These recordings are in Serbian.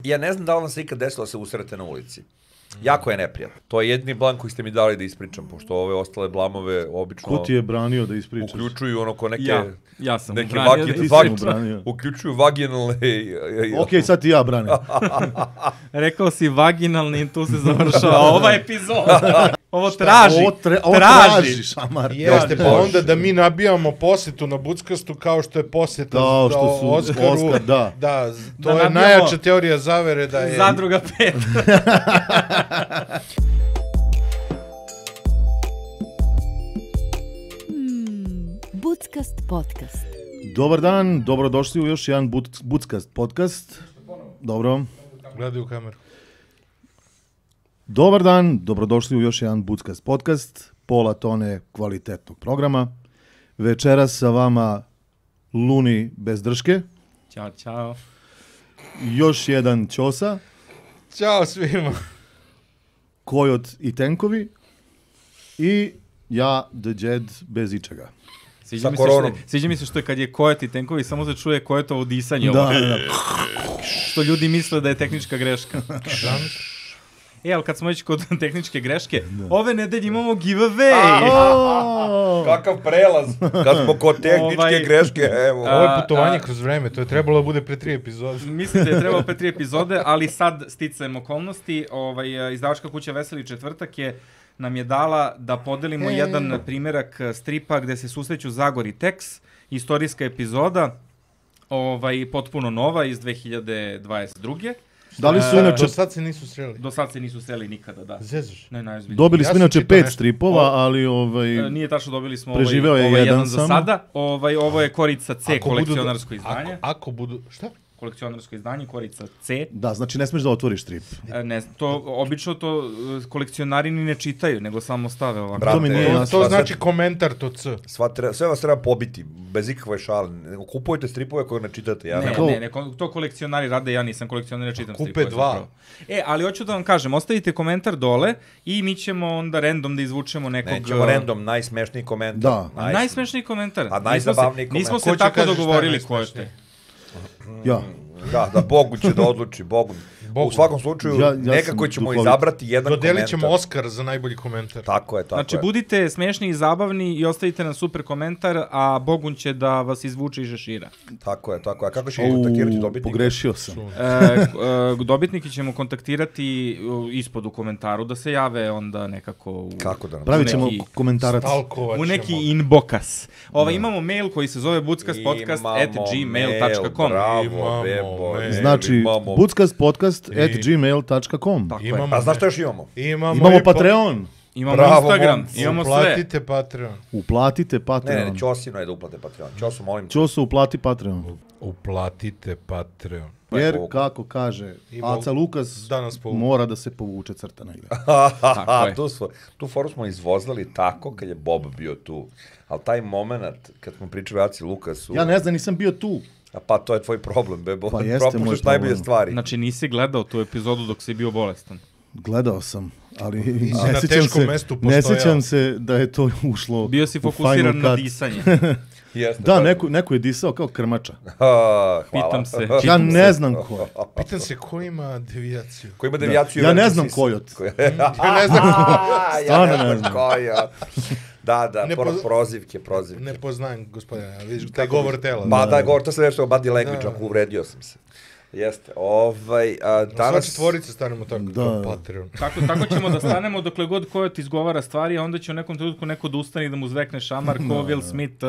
Ja ne znam da li vam se ikad desilo da se usrete na ulici. Jako je neprijatno. To je jedini blan koji ste mi dali da ispričam, pošto ove ostale blamove obično... Ko ti je branio da ispričaš? Uključuju ono ko neke... Ja sam neke branio. Uključuju vaginalne... Okej, sad ti ja branim. Rekao si vaginalni i tu se završava ova epizoda. Ovo traži. Ovo traži, Šamar. Jeste, pa onda da mi nabijamo posjetu na Buckastu kao što je posjeta Oskaru. Oskar, da. Da, to je najjača teorija zavere da je... Zadruga 5. Buckast podcast. Dobar dan, dobrodošli u još jedan Buckast podcast. Dobro. Gledaj u kameru. Dobar dan, dobrodošli u još jedan Buckast podcast, pola tone kvalitetnog programa. Večeras sa vama Luni bez drške. Ćao, čao. Još jedan Ćosa. Ćao svima. Kojot i tenkovi. I ja, The Jed, bez ičega. Sviđa mi se što je kad je Kojot i tenkovi, samo se čuje Kojotovo disanje. Da. Što ljudi misle da je tehnička greška. Ali kad smo već kod tehničke greške, ove nedelje imamo giveaway. Kakav prelaz. Kad smo kod tehničke greške, evo. Ovo je putovanje kroz vreme, to je trebalo da bude pre 3 epizode. Mislim da je trebalo pre 3 epizode, ali sad sticajem okolnosti, izdavačka kuća Veseli četvrtak nam je dala da podelimo jedan primjerak stripa gde se susreću Zagor i Tex, istorijska epizoda, potpuno nova iz 2022. Da li su inače... Do sad se nisu sreli. Do sad se nisu sreli nikada, da. Zezaš? Ne, najozbiljnije. Dobili smo inače 5 stripova, ali nije tačno, dobili smo preživeo je jedan za sada. Ovo je Korica C, kolekcionarsko izdanje. Ako budu... Šta? Kolekcionarsko izdanje, Korica C. Da, znači ne smiješ da otvoriš strip. Ne, obično to kolekcionari ni ne čitaju, nego samo stave ovako. Brate, to znači komentar, to C. Sve vas treba pobiti, bez ikakve šale. Kupujte stripove koje ne čitate. Ne, to kolekcionari rade, ja nisam kolekcionar, ne čitam stripove. Kupe 2. Ali hoću da vam kažem, ostavite komentar dole i mi ćemo onda random da izvučemo nekog... Nećemo random, najsmešniji komentar. Da. Najsmešniji komentar. A najzabavniji komentar. Nismo se tako dogovorili ko je te. Ja. Da, Bogu će da odluči, Bogu. U svakom slučaju, nekako ćemo izabrati jedan komentar. Dodelit ćemo Oskar za najbolji komentar. Tako je. Znači, budite smešni i zabavni i ostavite nam super komentar, a Bogun će da vas izvuče iz žešira. Tako je. A kako ćemo kontaktirati dobitnika? Pogrešio sam. Dobitniki ćemo kontaktirati ispod u komentaru, da se jave onda nekako... Kako da nam? Pravit ćemo komentarac. U neki inbokas. Imamo mail koji se zove buckaspodcast@gmail.com. Bravo, bebo. Znači, buckaspodcast@gmail.com. A znaš što još imamo? Imamo Patreon. Imamo Instagram, imamo sve. Uplatite Patreon. Ne, Ćosino je da uplate Patreon. Ćosu, molim. Ćosu, uplati Patreon. Uplatite Patreon. Jer, kako kaže Aca Lukas, mora da se povuče crta negdje. Tu foru smo izvozali tako kad je Bob bio tu. Ali taj moment, kad smo pričali Aci Lukasu... Ja ne znam, nisam bio tu. Pa to je tvoj problem, bebo. Pa jeste moj problem. Najbolje stvari. Znači nisi gledao tu epizodu dok si bio bolestan? Gledao sam, ali ne sjećam se da je to ušlo. Bio si fokusiran na disanje. Da, neko je disao kao krmača. Pitam se. Ja ne znam ko. Pitam se ko ima devijaciju. Ko ima devijaciju? Ja ne znam Kojot. Ja ne znam Kojot. Da, prozivke. Ne poznajem, gospodine, vidiš taj govor tela. Ba, da, govor, to sam nešto o body language, ako uvredio sam se. Jeste, danas... Sva četvorica stanemo tako, kao Patreon. Tako ćemo da stanemo dokle god Kojot izgovara stvari, a onda će u nekom trenutku neko da ustane i da mu zvekne šamar, ko Will Smith,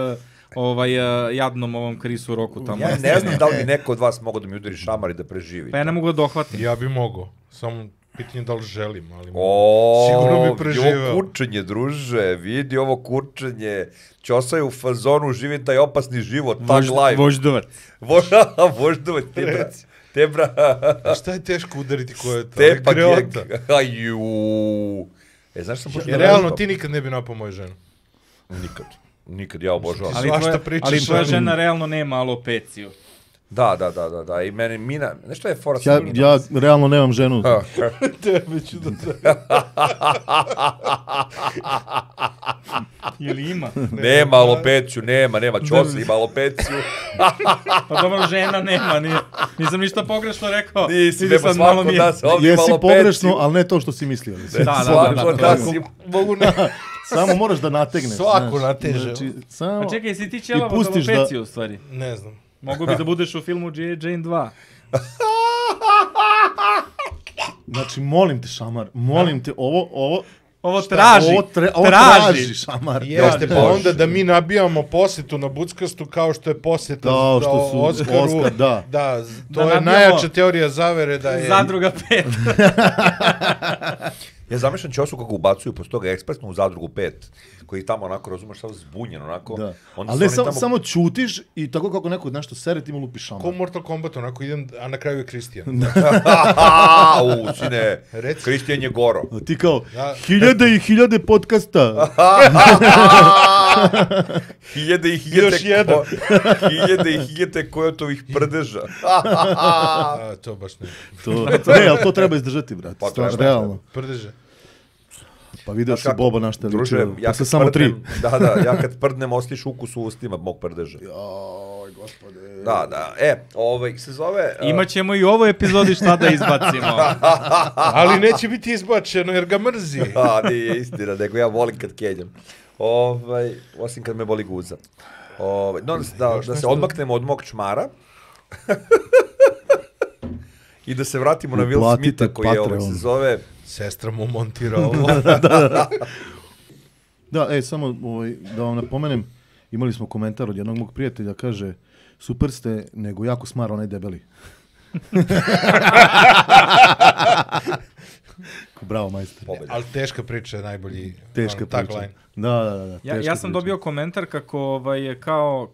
jadnom ovom Chrisu Rocku tamo. Ja ne znam da li bi neko od vas mogao da mi udari šamar i da preživi. Pa ja ne mogu da dohvatim. Ja bi mogao, samo... Pitanje da li želim, ali sigurno bi preživeo. Vidi ovo kurčenje, druže, vidi ovo kurčenje. Ćosa je u fazonu, živim taj opasni život, tag life. Voždovac. Voždovac, tebra. A šta je teško udariti ko je to? Tepa gek. Znaš sam počeo da realno ti nikad ne bi napao moju ženu. Nikad, ja obožavam. Ali tvoja žena realno nema alopeciju. Da, i meni Mina, nešto je fora sa Minom. Ja realno nemam ženu. Tebe ću da Ili ima? Nema alopeciju, nema, Ćosi ima alopeciju. Pa dobro, žena nema, nisam ništa pogrešno rekao. Nisi, nema svako da se ovdje ima Jesi alopeciju. pogrešno, ali ne to što si mislio. Svako da si... Samo moraš da nategneš. Svako nateže. Znači, samo... Pa čekaj, si ti ćelava od alopeciju u stvari? Ne znam. Mogu bi da budeš u filmu G.I. Jane 2. Znači, molim te, Šamar, molim te, Ovo traži. Ovo traži, Šamar. Jeste, pa onda da mi nabijamo posjetu na Buckastu kao što je posjeta Da, što su Oskaru. Oskar, da. Da, to Da je nabijamo- najjača teorija zavere da je... Zadruga 5. Ja zamišljam Ćosu kako ubacuju posle toga ekspresno u Zadrugu 5, koji tamo onako, razumeš, samo zbunjen, onako. Da. Onda Ali ne, su oni samo ćutiš i tako kako neko nešto sere, ti mu lupiš Šamar. Ko Mortal Kombat, onako idem, a na kraju je Kristijan. Sine, Reci. Kristijan je goro. A ti kao, Da. 1000 i 1000 podcasta. Hiljade i hiljade kojotovih prdeža. A, to baš ne. Ne, ali to treba izdržati, brate. Pa, Stvarno, treba. realno. Prdeže. Pa video Znaš se kako, Boba na šta Druže, ličio. ja Posle kad samo 3. prdnem, ja kad prdnem osliš ukus u ustima mog prdeža. Joj, gospode. Da. Se zove... Imaćemo i u ovoj epizodi šta da izbacimo. Ali neće biti izbačeno jer ga mrzi. Nije istina, nego ja volim kad kenjam. Osim kad me boli guza. Da se odmaknemo od mog čmara. I da se vratimo na Will Uplatite Smitha koji je Patreon. se zove... Sestra mu montira ovo. Da, samo da vam napomenem, imali smo komentar od jednog mog prijatelja, kaže, super ste, nego jako smara onaj debeli. Bravo, majster. Ali teška priča je najbolji Teška priča. Da. Ja sam dobio komentar kako kao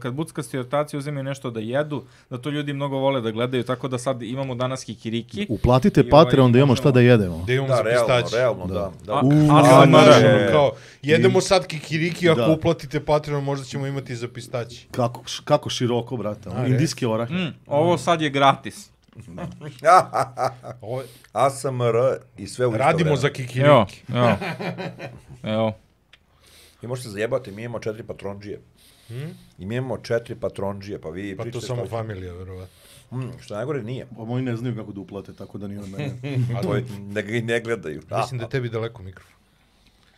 kad buckasti ortaci uzimaju nešto da jedu, da to ljudi mnogo vole da gledaju, tako da sad imamo danas kikiriki. Uplatite Patreon da imamo šta da jedemo. Da imamo za pistaći. Realno, da. Kao, jedemo sad kikiriki, ako uplatite Patreon možda ćemo imati za pistaći. Kako široko, brate. Indijski orah. Ovo sad je gratis. ASMR i sve u isto Radimo vreme. za kikiriki. Evo. I možete zajebati, mi imamo 4 patronđije. I mi imamo 4 patronđije, pa vi Pa pričate... to samo familija, verovatno. Što najgore nije. Pa moji ne znaju kako da uplate, tako da nije od mene. A to da ga i ne gledaju. Mislim da je tebi daleko mikrofon.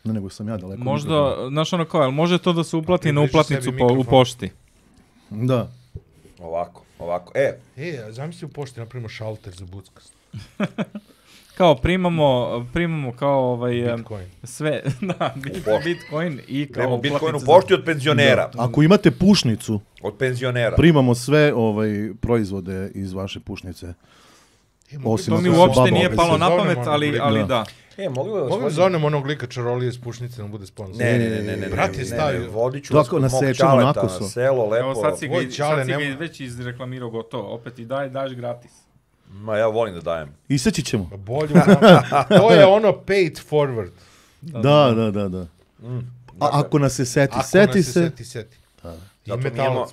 Ne, nego sam ja daleko. Možda, znaš ono kao, može to da se uplati na uplatnicu u pošti? Da. Ovako. Zamisli u pošti napravimo šalter za buckast. Kao primamo kao Bitcoin. sve, da, Bitcoin i kao Premo Bitcoin u uplatnicu pošti od penzionera. Da. Ako imate pušnicu, Od penzionera. primamo sve proizvode iz vaše pušnice. Osim To mi ako su uopšte baba nije opet. palo na Zovemo pamet, onog ali lika. da. Mogu da zovnem onog lika čarolije iz Pušnice, nam bude sponsor. Ne. Brate, stavio. Vodit ću vas Tako kod mog nasečemo čaleta nakoso. na selo, lepo. Evo sad si ga Tvoj čale nema- već izreklamirao gotovo, opet i daš gratis. Ma ja volim da dajem. Iseći ćemo. Bolje. To je ono paid forward. Da. A ako nas se seti, Ako seti nas se. seti.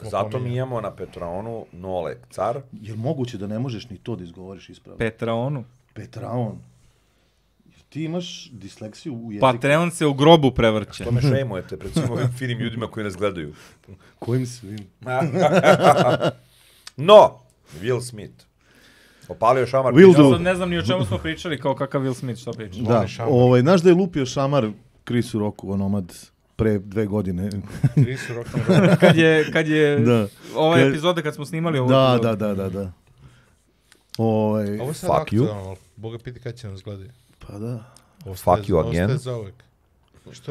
Zato mi imamo na Petronu Nole car. Jel moguće da ne možeš ni to da izgovoriš ispravno? Petraonu. Petraon. Ti imaš disleksiju u jeziku. Patreon se u grobu prevrće. To me šejmujete pred svim ovim finim ljudima koji nas gledaju. Kojim svim? No, Will Smith. Opalio šamar. Will Ja sad ne znam ni o čemu smo pričali, kao kakav Will Smith, što priča. Da, znaš da je lupio šamar Chrisu Rocku, onomad, pre 2 godine. Chris Rock. Kad je Da. ova epizoda, kad smo snimali ovu epizodu. Da. Ovo je sad Fuck you. aktualno. Boga piti kad će nas gledati. Pa da. Fuck you again. Ostaje za uvek.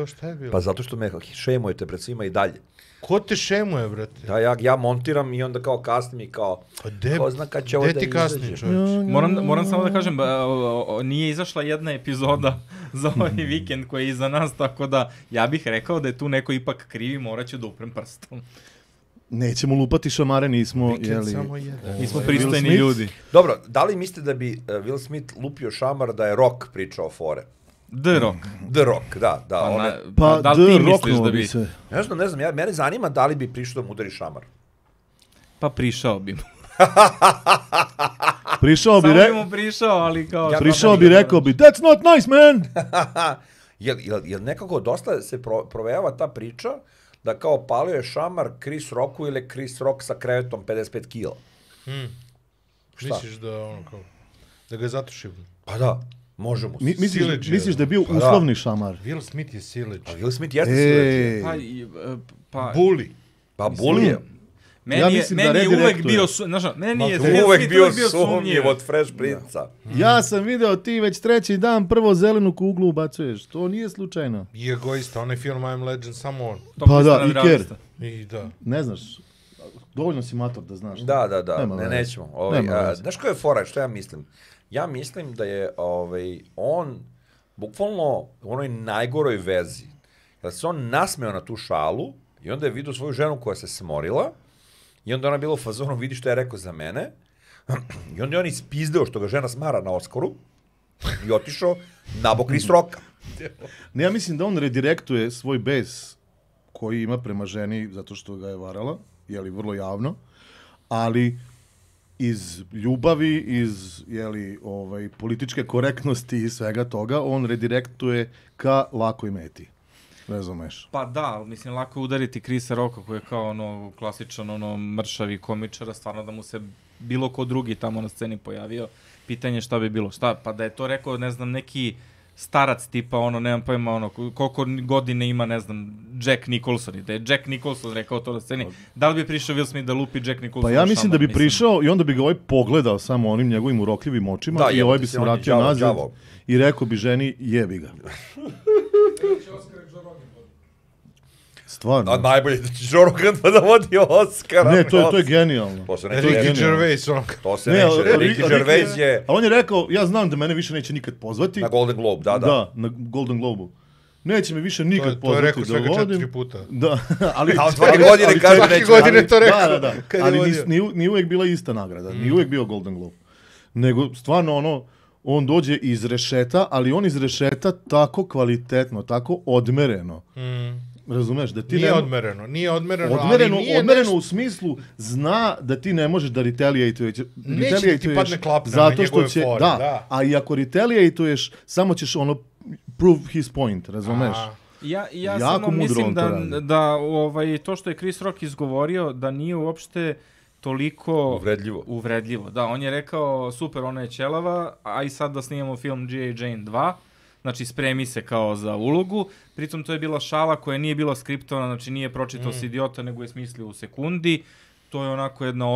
Šta je bilo? Pa zato što me šejmujete pred svima i dalje. Ko te šemuje, brate? Da, ja montiram i onda kao kasnim i kao... Ko zna kad će ovo da Gde ti kasni, izađe. čovječ? Moram samo da kažem, nije izašla jedna epizoda za ovaj vikend koji je iza nas, tako da ja bih rekao da je tu neko ipak krivi, morat ću da uprem prstom. Nećemo lupati šamare, nismo, Vikend samo jedan. Mi smo Will pristojni Smith? ljudi. Dobro, da li mislite da bi Will Smith lupio šamar da je Rock pričao fore? The Rock. The Rock, da. Pa da li ti misliš roknuo da bi bi? se. Ne znam, mene zanima da li bi prišao da mu udari šamar. Pa prišao bi mu. Prišao bi, Samo bi mu prišao, ali kao... prišao bi, rekao bi, that's not nice, man! Jel nekako dosta se provejava ta priča da kao palio je šamar Chris Rocku ili Chris Rock sa krevetom 55 kila? Šta? Misliš da ga je zato šibno? Pa da, možemo. Misliš da je bio uslovni šamar? Will Smith je sileđ. Pa Will Smith jeste sileđ. Bully. Pa Bully je. Meni je uvek bio sumnjiv od Fresh Princa. Ja sam video ti već treći dan prvo zelenu kuglu ubacuješ. To nije slučajno. I egoista, onaj film I'm Legend, samo on. Pa da, i Ker. I da. Ne znaš, dovoljno si mator da znaš. Da, nećemo. Znaš koja je fora, što ja mislim? Ja mislim da je on bukvalno u onoj najgoroj vezi. Da se on nasmeo na tu šalu i onda je vidio svoju ženu koja se smorila i onda ona bila u fazonu, vidi što je rekao za mene i onda je on ispizdeo što ga žena smara na Oskaru i otišao nabok Chris Rocka. Ne, ja mislim da on redirektuje svoj bes koji ima prema ženi zato što ga je varala, jeli, vrlo javno, ali iz ljubavi, iz političke korektnosti i svega toga, on redirektuje ka lakoj meti. Razumeš? Pa da, mislim, lako je udariti Chrisa Rocka koji je kao klasičan mršavi komičar, stvarno da mu se bilo ko drugi tamo na sceni pojavio. Pitanje šta bi bilo. Šta? Pa da je to rekao, ne znam, neki starac tipa, nemam pojma, koliko godine ima, ne znam, Jack Nicholson. Da je Jack Nicholson rekao to na sceni. Da li bi prišao Will Smith da lupi Jack Nicholson? Pa ja mislim da bi prišao i onda bi ga pogledao samo onim njegovim urokljivim očima i bi se vratio nazad i rekao bi ženi, jebi ga. Stvarno. A najbolje da će Joe Rogan da vodi Oscara. Ne, to je genijalno. To se Ricky Gervais. To se neće. Ricky Gervais je... A on je rekao, ja znam da mene više neće nikad pozvati. Na Golden Globe, da. Da, na Golden Globu. Neće me više nikad pozvati da vodim. To je rekao svega 4 puta. Da, ali... A svake godine kaže neće. Svake godine to rekao. Da. Ali nije uvijek bila ista nagrada. Nije uvijek bio Golden Globe. Nego, stvarno, on dođe iz rešeta, ali on iz rešeta tako kvalitetno, tako odmereno. Razumeš, da ti nije odmereno, odmereno u smislu zna da ti ne možeš da retaliatuješ. Neće da ti padne klapna na njegove fore. Da, a i ako retaliatuješ, samo ćeš prove his point, razumeš? Ja samo mislim da to što je Chris Rock izgovorio, da nije uopšte toliko uvredljivo. Da, on je rekao, super, ona je ćelava, a i sad da snimamo film G.I. Jane 2, znači spremi se kao za ulogu, pritom to je bila šala koja nije bila skriptovana, znači nije pročitao se idiota, nego je smislio u sekundi, to je onako jedna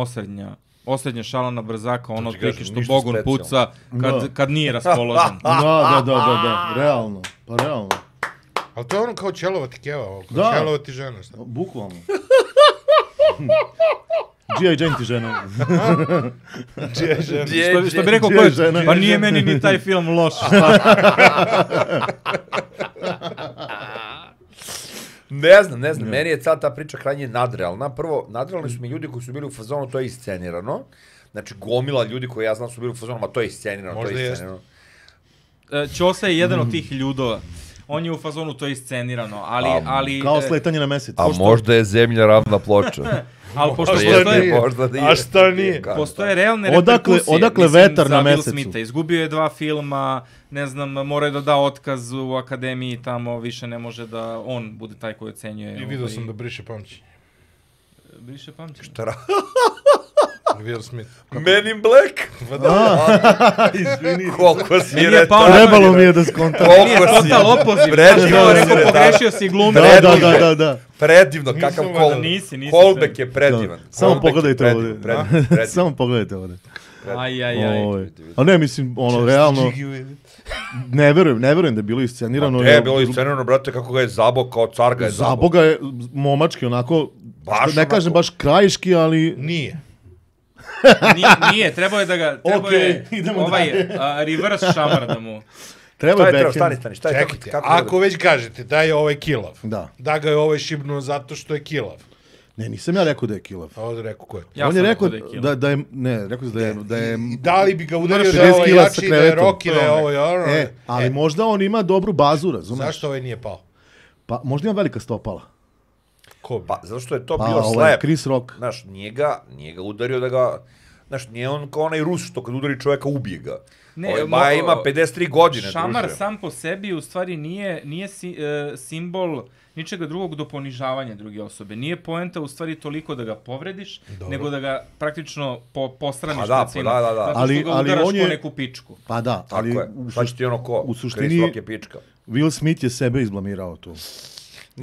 osrednja šala na brzaka, ono otprilike što Bogun puca kad nije raspoložen. Da, realno, pa realno. Ali to je kao ćelova ti keva, kao ćelova ti žena, šta? Bukvalno. G.I. Jane ti žena. Što bi rekao ko je, pa nije meni ni taj film loš. Ne znam, meni je cijela ta priča krajnje nadrealna. Prvo, nadrealni su mi ljudi koji su bili u fazonu, to je iscenirano. Znači, gomila ljudi koji ja znam su bili u fazonu, ma to je iscenirano, možda jeste. Ćosa je jedan od tih ljudova. On je u fazonu, to je iscenirano, ali... Kao sletanje na mesec. A možda je zemlja ravna ploča. Ali pošto postoje realne reperkusije, odakle vetar na mesecu. Will Smitha. Izgubio je 2 filma, ne znam, mora je da otkaz u akademiji, tamo više ne može da on bude taj koji ocenjuje. I vidio sam da briše pamćenje. Briše pamćenje? Šta ra? Will Smith. Men in Black? Izvini. Koliko si rekao? Trebalo mi je da skontam. Meni je total opoziv. Pogrešio si glume. Da. Predivno, kakav callback je predivan. Samo pogledajte ovdje. Samo pogledajte ovdje. A ne, mislim, realno, ne verujem da je bilo iscenirano. Ne je bilo iscenirano, brate, kako ga je zabog, kao car ga je zabog. Zabog ga je momački, onako, ne kažem baš krajiški, ali... Nije, trebao je da ga, reverse šamar da mu... Stani, čekajte, ako već kažete da je ovaj kilav, da ga je ovaj šibnuo zato što je kilav. Ne, nisam ja rekao da je kilav. A ovdje rekao ko je? On je rekao da je, ne, rekao da je... Da li bi ga udario da je ovaj jači, da je Rocky, da je ovo ono... Ali možda on ima dobru bazu, razumeš? Zašto ovaj nije pao? Pa možda ima velika stopala. Ko? Pa, zato što je to bio slep. Chris Rock. Znaš, nije ga udario da ga Znaš, nije on kao onaj Rus što kad udari čoveka ubije ga. Ne, Baja ima 53 godine, šamar druže. sam po sebi u stvari nije simbol ničega drugog do ponižavanja druge osobe. Nije poenta u stvari toliko da ga povrediš, nego da ga praktično postraniš pred svima. Da. Zato što ga udaraš po neku pičku. Pa da, ali šta će ti ono ko? U suštini je pička. Will Smith je sebe izblamirao tu.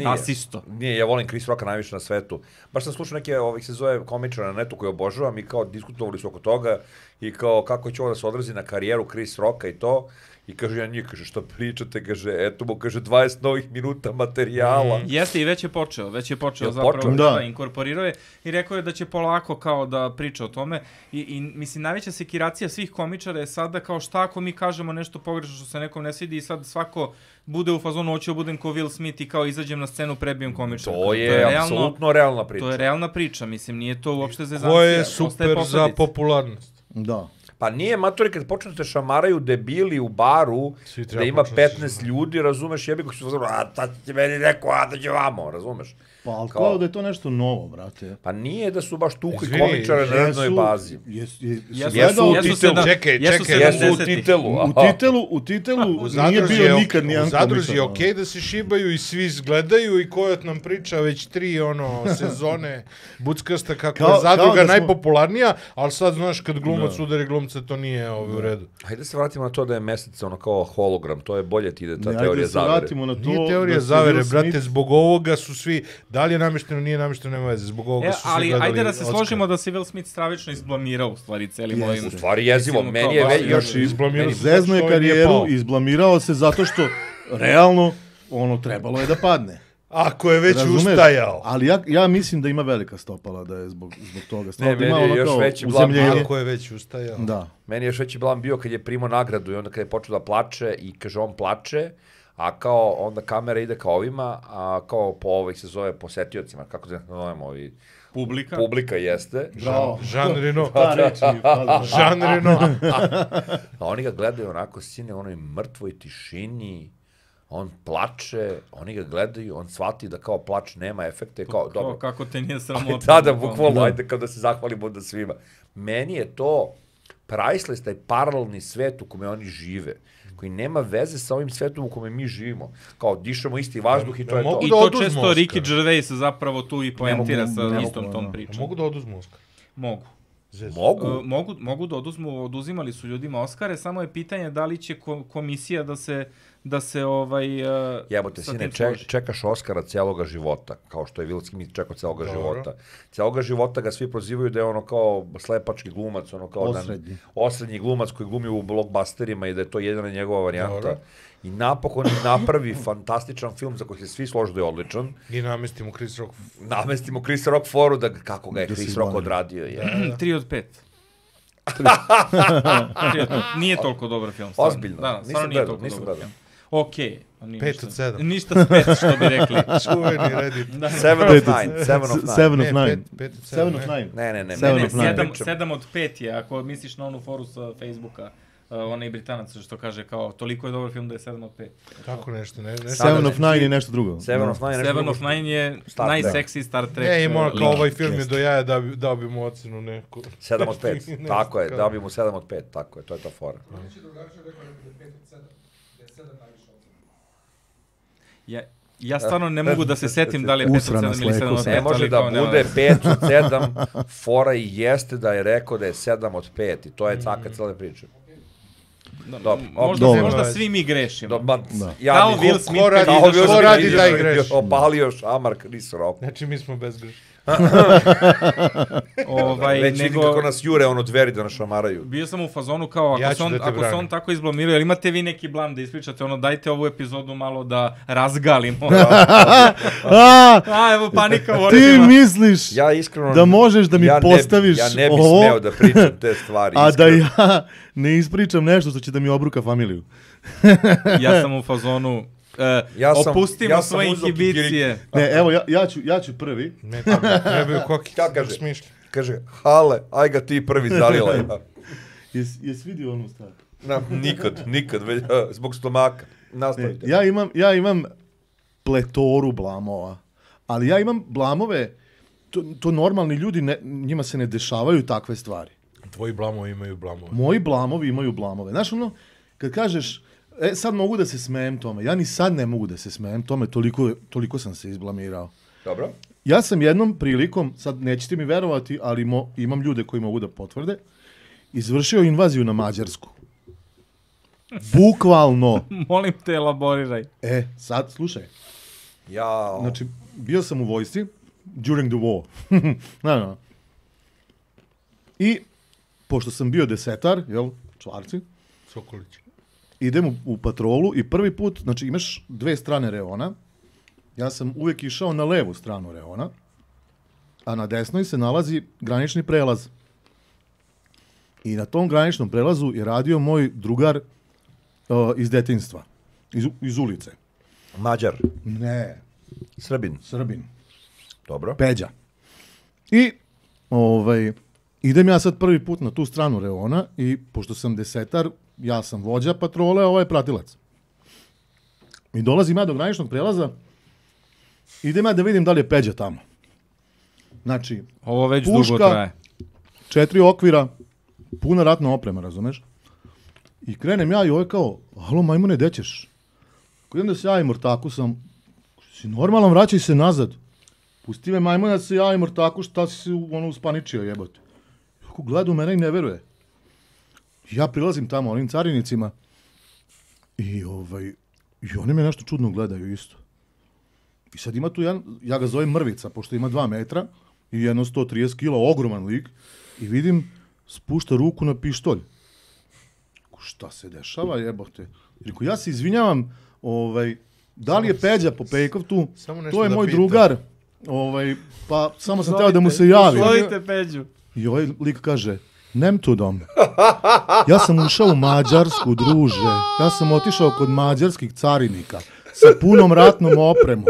Asisto. Nije, ja volim Chris Rocka najviše na svetu. Baš sam slušao neke se zove komičara na netu koje obožavam i kao diskutovali su oko toga i kao kako će ovo da se odrazi na karijeru Chris Rocka i to. I kaže, ja njih, kaže, što pričate, kaže, eto mu, kaže, 20 novih minuta materijala. Jeste, i već je počeo zapravo da inkorporirao je i rekao je da će polako kao da priča o tome i mislim, najveća sekiracija svih komičara je sada kao šta ako mi kažemo nešto pogrešno što se nekom ne svidi i sad svako bude u fazonu, hoću budem ko Will Smith i kao izađem na scenu, prebijem komičara. To je apsolutno realna priča. To je realna priča, mislim, nije to uopšte zezancija. Ko je super za popularnost. Da. Pa nije, matori, kad počnu te šamaraju debili u baru, da ima 15 ljudi, razumeš, jebi ko su fazonu, a tad će meni neko, a da će vamo, razumeš? Pa, ali kao da je to nešto novo, brate. Pa nije da su baš tukli komičare na jednoj bazi. Jesu u titelu. U titelu nije bio nikad nijedan komičar. U Zadruzi je okej da se šibaju i svi gledaju i Kojot nam priča već 3 sezone buckasta kako je Zadruga najpopularnija, ali sad znaš kad glumac udari glumca to nije u redu. Hajde se vratimo na to da je Mesec ono kao hologram, to je bolje ti ide ta teorija zavere. Nije teorija zavere, brate, zbog ovoga su svi, da li je namješteno, nije namješteno, nema veze, zbog ovoga su svi gledali Oscar. Ali ajde da se složimo da se Will Smith stravično izblamirao u stvari celim ovim. U stvari jezivo, meni je još izblamirao. Zezno je karijeru, izblamirao se zato što realno ono trebalo je da padne. Ako je već ustajao. Ali ja mislim da ima velika stopala da je zbog toga. Ne, meni je još veći blam. Ako je već ustajao. Da. Meni je još veći blam bio kad je primao nagradu i onda kad je počeo da plače i kaže on plače, a kao onda kamera ide kao ovima, a kao po ovih se zove posetiocima, kako se zovemo ovi... Publika jeste. Jean Reno. Jean Reno. A oni ga gledaju onako sine u onoj mrtvoj tišini, on plače, oni ga gledaju, on shvati da kao plač nema efekte. Kako te nije sramotno. Da, bukvalno, ajde kao da se zahvalimo da svima. Meni je to priceless, taj paralelni svet u kome oni žive, koji nema veze sa ovim svetom u kome mi živimo. Kao, dišemo isti vazduh i to je to. I to često Ricky Gervais zapravo tu i poentira sa istom tom pričom. Mogu da oduzmu Oscar? Mogu. Mogu da oduzimali su ljudima Oscare, samo je pitanje da li će komisija da se jebote, sine, čekaš Oscara cijeloga života, kao što je Will Smith čekao cijeloga života. Cijeloga života ga svi prozivaju da je ono kao slepački glumac, ono kao osrednji glumac koji glumi u blockbusterima i da je to jedina njegova varijanta. I napokon napravi fantastičan film za koji se svi slože da je odličan. I namestimo Chris Rock. Namestimo Chris Rock foru da kako ga je Chris Rock odradio. 3 od 5. Nije toliko dobar film. Ozbiljno. Da, stvarno nije toliko dobar film. Okej. 5 od 7. Ništa s 5, što bi rekli. Čuveni Reddit. 7 of 9. 7 of 9. Ne. 7 od 5 je, ako misliš na onu foru sa Facebooka. Onaj Britanac što kaže kao toliko je dobar film da je 7 od 5. Tako nešto, ne. 7 of 9 je nešto drugo. 7 of 9 je najseksi Star Trek. Ne, ima kao ovaj film je do jaja dao bi mu ocenu neku. 7 od 5, tako je, dao bi mu 7 od 5, tako je, to je ta fora. Ja stvarno ne mogu da se setim da li je 5 od 7 ili 7 od 5. Ne može da bude 5 od 7, fora i jeste da je rekao da je 7 od 5 i to je caka cijela priča. Možda svi mi grešimo. Kao Will Smith ko radi taj greš. Opalio šamar Chris Rock. Znači mi smo bezgrešni. Već vidim kako nas jure ono dveri da nas šamaraju. Bio sam u fazonu kao ako se on tako izblamirao, ali imate vi neki blam da ispričate, dajte ovu epizodu malo da razgalimo. Evo panika u očima. Ti misliš da možeš da mi postaviš ovo? Ja ne bih smeo da pričam te stvari. A da ja ne ispričam nešto što će da mi obruka familiju. Ja sam u fazonu... opustimo svoje inhibicije. Ne, evo, ja ću prvi. Ne, trebaju koki. Kaže, Hale, aj ga ti prvi zalila. Jesi vidio onu stvar? Nikad, zbog stomaka. Nastavite. Ja imam pletoru blamova, ali ja imam blamove, to normalni ljudi, njima se ne dešavaju takve stvari. Tvoji blamovi imaju blamove. Moji blamovi imaju blamove. Znaš ono, kad kažeš, sad mogu da se smejem tome, ja ni sad ne mogu da se smejem tome, toliko sam se izblamirao. Dobro. Ja sam jednom prilikom, sad nećete mi verovati, ali imam ljude koji mogu da potvrde, izvršio invaziju na Mađarsku. Bukvalno. Molim te, elaboriraj. Sad, slušaj. Jao. Znači, bio sam u vojsci, during the war. No. I, pošto sam bio desetar, jel, čvarci, Sokolić. idem u patrolu i prvi put, znači imaš 2 strane reona, ja sam uvijek išao na levu stranu reona, a na desnoj se nalazi granični prelaz. I na tom graničnom prelazu je radio moj drugar iz detinjstva, iz ulice. Mađar. Ne. Srbin. Dobro. Peđa. I idem ja sad prvi put na tu stranu reona i pošto sam desetar, ja sam vođa patrole, a ovo je pratilac. I dolazim ja do graničnog prelaza, idem ja da vidim da li je Peđa tamo. Znači, ovo već puška, dugo traje. 4 okvira, puna ratna oprema, razumeš? I krenem ja i ovo je kao, halo majmune, gde ćeš? Idem da se javim ortaku, si normalan, vraćaj se nazad. Pusti me majmune da se javim ortaku, šta si se uspaničio, jebote. Ako gleda u mene i ne veruje. Ja prilazim tamo onim carinicima i oni me nešto čudno gledaju isto. I sad ima tu jedan, ja ga zovem Mrvica, pošto ima 2 metra i jedno 130 kila, ogroman lik, i vidim, spušta ruku na pištolj. Šta se dešava, jebote? Reku, ja se izvinjavam, da li je Peđa Popejkov tu? To je moj drugar, pa samo sam teo da mu se javim. Zovite Peđu. I ovaj lik kaže, nem tu dom. Ja sam ušao u Mađarsku, druže. Ja sam otišao kod mađarskih carinika sa punom ratnom opremom.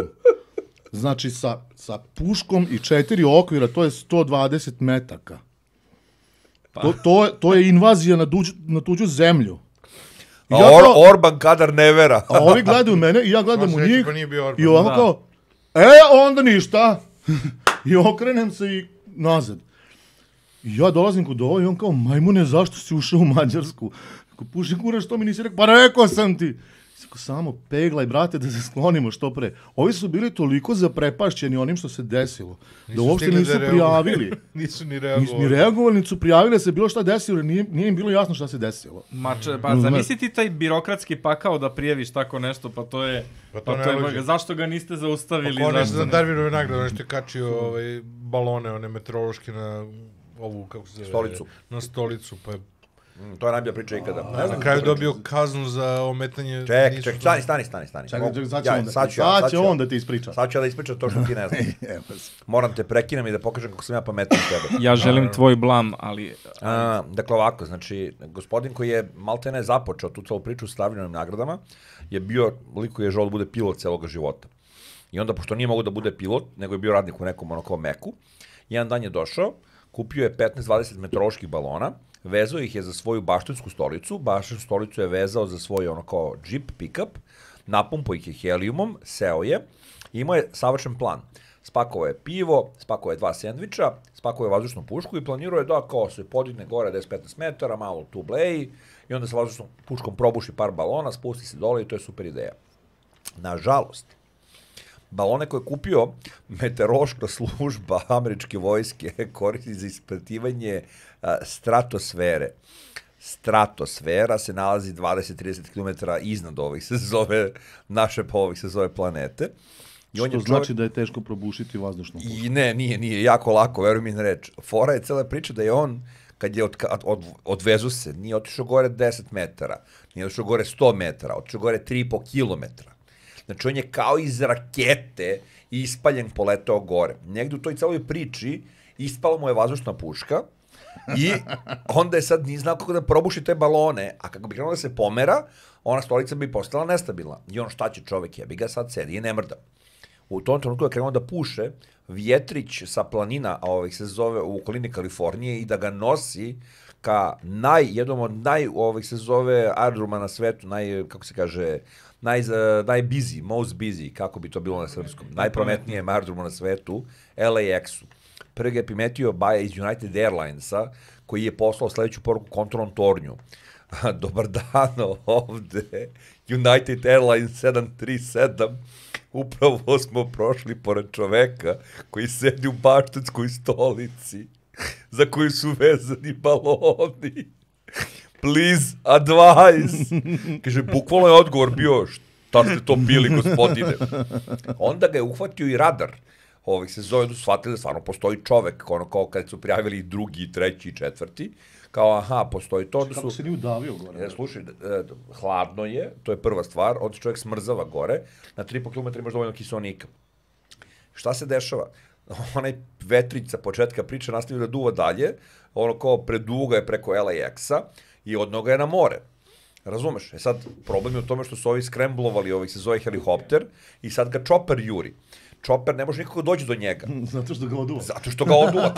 Znači, sa puškom i 4 okvira, to je 120 metaka. To je invazija na tuđu zemlju. Orban kadar ne vera. A ovi gledaju mene i ja gledam u njih i ovako kao, onda ništa. I okrenem se i nazad. I ja dolazim kod ovo i on kao, majmune, zašto si ušao u Mađarsku? Ako puši kura, što mi nisi rekao? Pa rekao sam ti. Samo peglaj, brate, da se sklonimo što pre. Ovi su bili toliko zaprepašćeni onim što se desilo, da uopšte nisu prijavili. Nisu ni reagovali. Ni reagovali, nisu prijavili da se bilo šta desilo, jer nije im bilo jasno šta se desilo. Pa zamisli ti taj birokratski pakao da prijaviš tako nešto, pa to je... Zašto ga niste zaustavili? Pa ne znam, Darwinove nagrade, on što je kačio balone, one meteorološke na ovu, kako se zove? Stolicu. Na stolicu, pa je... To je najbolja priča ikada. Na kraju dobio kaznu za ometanje... Čekaj, stani. Sad će on da ti ispriča. Sad ću ja da ispričam to što ti ne znaš. Moram te prekinem i da pokažem kako sam ja pametan tebe. Ja želim tvoj blam, ali... Dakle, ovako, znači, gospodin koji je maltene započeo tu celu priču s Stavljenim nagradama, je bio lik koji je želeo da bude pilot celoga života. I onda, pošto nije mogo da bude pilot, nego je bio radnik u nekom onako meku, jedan dan je došao, kupio je 15-20 meteoroloških balona, vezao ih je za svoju baštinsku stolicu, baštinsku stolicu je vezao za svoj ono kao džip, pick-up, napumpao ih je helijumom, seo je, imao je savršen plan. Spakovao je pivo, spakovao je 2 sendviča, spakovao je vazdušnu pušku i planirao je da kao se podigne gore 10-15 metara, malo tu bleji i onda sa vazdušnom puškom probuši par balona, spusti se dole i to je super ideja. Nažalost, balone koje je kupio meteorološka služba američke vojske koristi za ispitivanje stratosfere. Stratosfera se nalazi 20-30 km iznad ovih se zove naše se zove planete. I što znači da je teško probušiti vazdušnu pušku? I nije jako lako, veruj mi na reč. Fora je cela priča da je on, kad je odvezu se, nije otišao gore 10 metara, nije otišao gore 100 metara, otišao gore 3,5 kilometra. Znači, on je kao iz rakete ispaljen poletao gore. Negde u toj celoj priči ispala mu je vazdušna puška i onda je sad nije znao kako da probuši te balone, a kako bi krenuo da se pomera, ona stolica bi postala nestabilna. I on šta će čovek, jebi ga, sad sedi i ne mrda. U tom trenutku je krenuo da puše vjetrić sa planina, a se zove u okolini Kalifornije i da ga nosi ka jednom od se zove aerodroma na svetu, kako se kaže, najbusy, most busy, kako bi to bilo na srpskom, najprometnije aerodromu na svetu, LAX-u. Prvi ga je primetio Baja iz United Airlinesa, koji je poslao sledeću poruku kontrolnom tornju. Dobar dan, ovde United Airlines 737, upravo smo prošli pored čoveka koji sedi u Baštetskoj stolici, za koju su vezani baloni. Please advise. Kaže, bukvalno je odgovor bio, šta ste to pili, gospodine? Onda ga je uhvatio i radar. Se zove, shvatili da stvarno postoji čovek, kao kad su prijavili drugi, treći i četvrti, kao, aha, postoji to. Kako se nije udavio gore? Slušaj, hladno je, to je prva stvar, onda se čovjek smrzava gore, na 3,5 km imaš dovoljno kiseonika. Šta se dešava? Onaj vetrić sa početka priče nastavio da duva dalje, kao preduga je preko LAX-a i od noga je na more. Razumeš? Sad, problem je u tome što su ovi skremblovali, se zove helikopter, i sad ga čoper juri. Čoper ne može nikako doći do njega. Zato što ga oduva. Zato što ga oduva,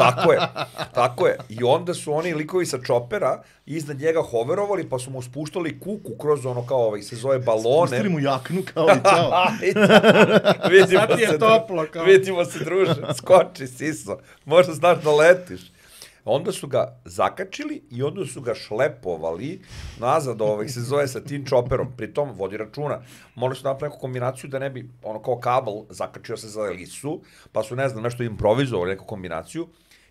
tako je. I onda su oni likovi sa čopera iznad njega hoverovali, pa su mu spuštali kuku kroz se zove balone. Spustili mu jaknu kao i čao. Sad je toplo kao. Vidimo se, druže, skoči, siso, možda znaš da letiš. Onda su ga zakačili i onda su ga šlepovali nazad, se zove sa tim čoperom. Pritom vodi računa. Morali su napraviti neku kombinaciju da ne bi, kao kabel, zakačio se za lisu, pa su, ne znam, nešto improvizovali, neku kombinaciju.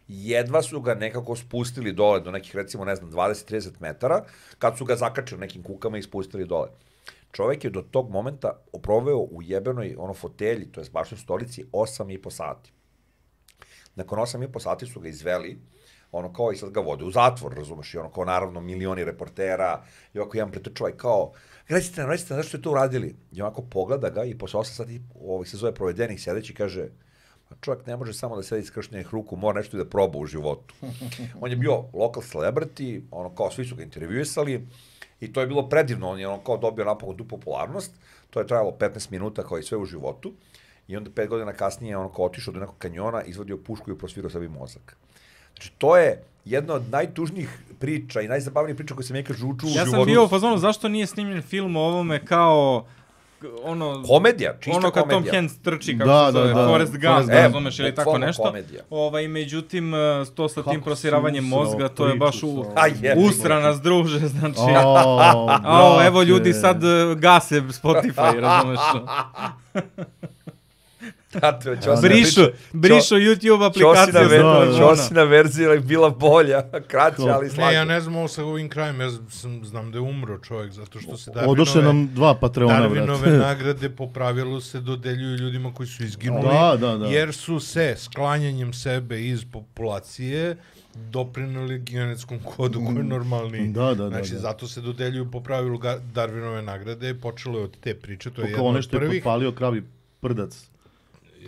Jedva su ga nekako spustili dole do nekih, recimo, ne znam, 20-30 metara, kad su ga zakačili nekim kukama i spustili dole. Čovek je do tog momenta proveo u jebenoj fotelji, to je bašnoj stolici, 8,5 sati. Nakon 8,5 sati su ga izveli, i sad ga vode u zatvor, razumeš, i naravno, milioni reportera, i jedan pretrčava i kao, recite nam, zašto ste to uradili? I onako pogleda ga i posle 8 sati, se zove provedenih sedeći, kaže, čovjek ne može samo da sedi skrštenih ruku, mora nešto i da proba u životu. On je bio local celebrity, svi su ga intervjuisali, i to je bilo predivno, on je dobio napokon tu popularnost, to je trajalo 15 minuta kao i sve u životu, i onda 5 godina kasnije otišao do nekog kanjona, izvadio pušku i prosvirao sebi mozak. Znači, to je jedna od najtužnijih priča i najzabavnijih priča koje sam nekad žuču u životu. Ja sam bio u fazonu, zašto nije snimljen film o ovome kao komedija, čista komedija. Kad Tom Hanks trči, kako se zove, Forrest Gump, razumeš, ili tako nešto. Međutim, to sa tim prosiravanjem mozga, to je baš usra nas, druže, znači. Evo ljudi sad gase Spotify, razumeš. Brišu YouTube aplikaciju. Ćosina verzija je bila bolja, kraća, ali slađa. Ne, ja ne znam ovo sa ovim krajem, ja znam da je umro čovjek, zato što se odošle nam 2 Patreona, Darwinove nagrade po pravilu se dodeljuju ljudima koji su izginuli, jer su se sklanjanjem sebe iz populacije doprinuli genetskom kodu koji je normalni. Znači, zato se dodeljuju po pravilu Darwinove nagrade, počelo je od te priče, to je jedno od prvih. Ono što je potpalio kravi prdac.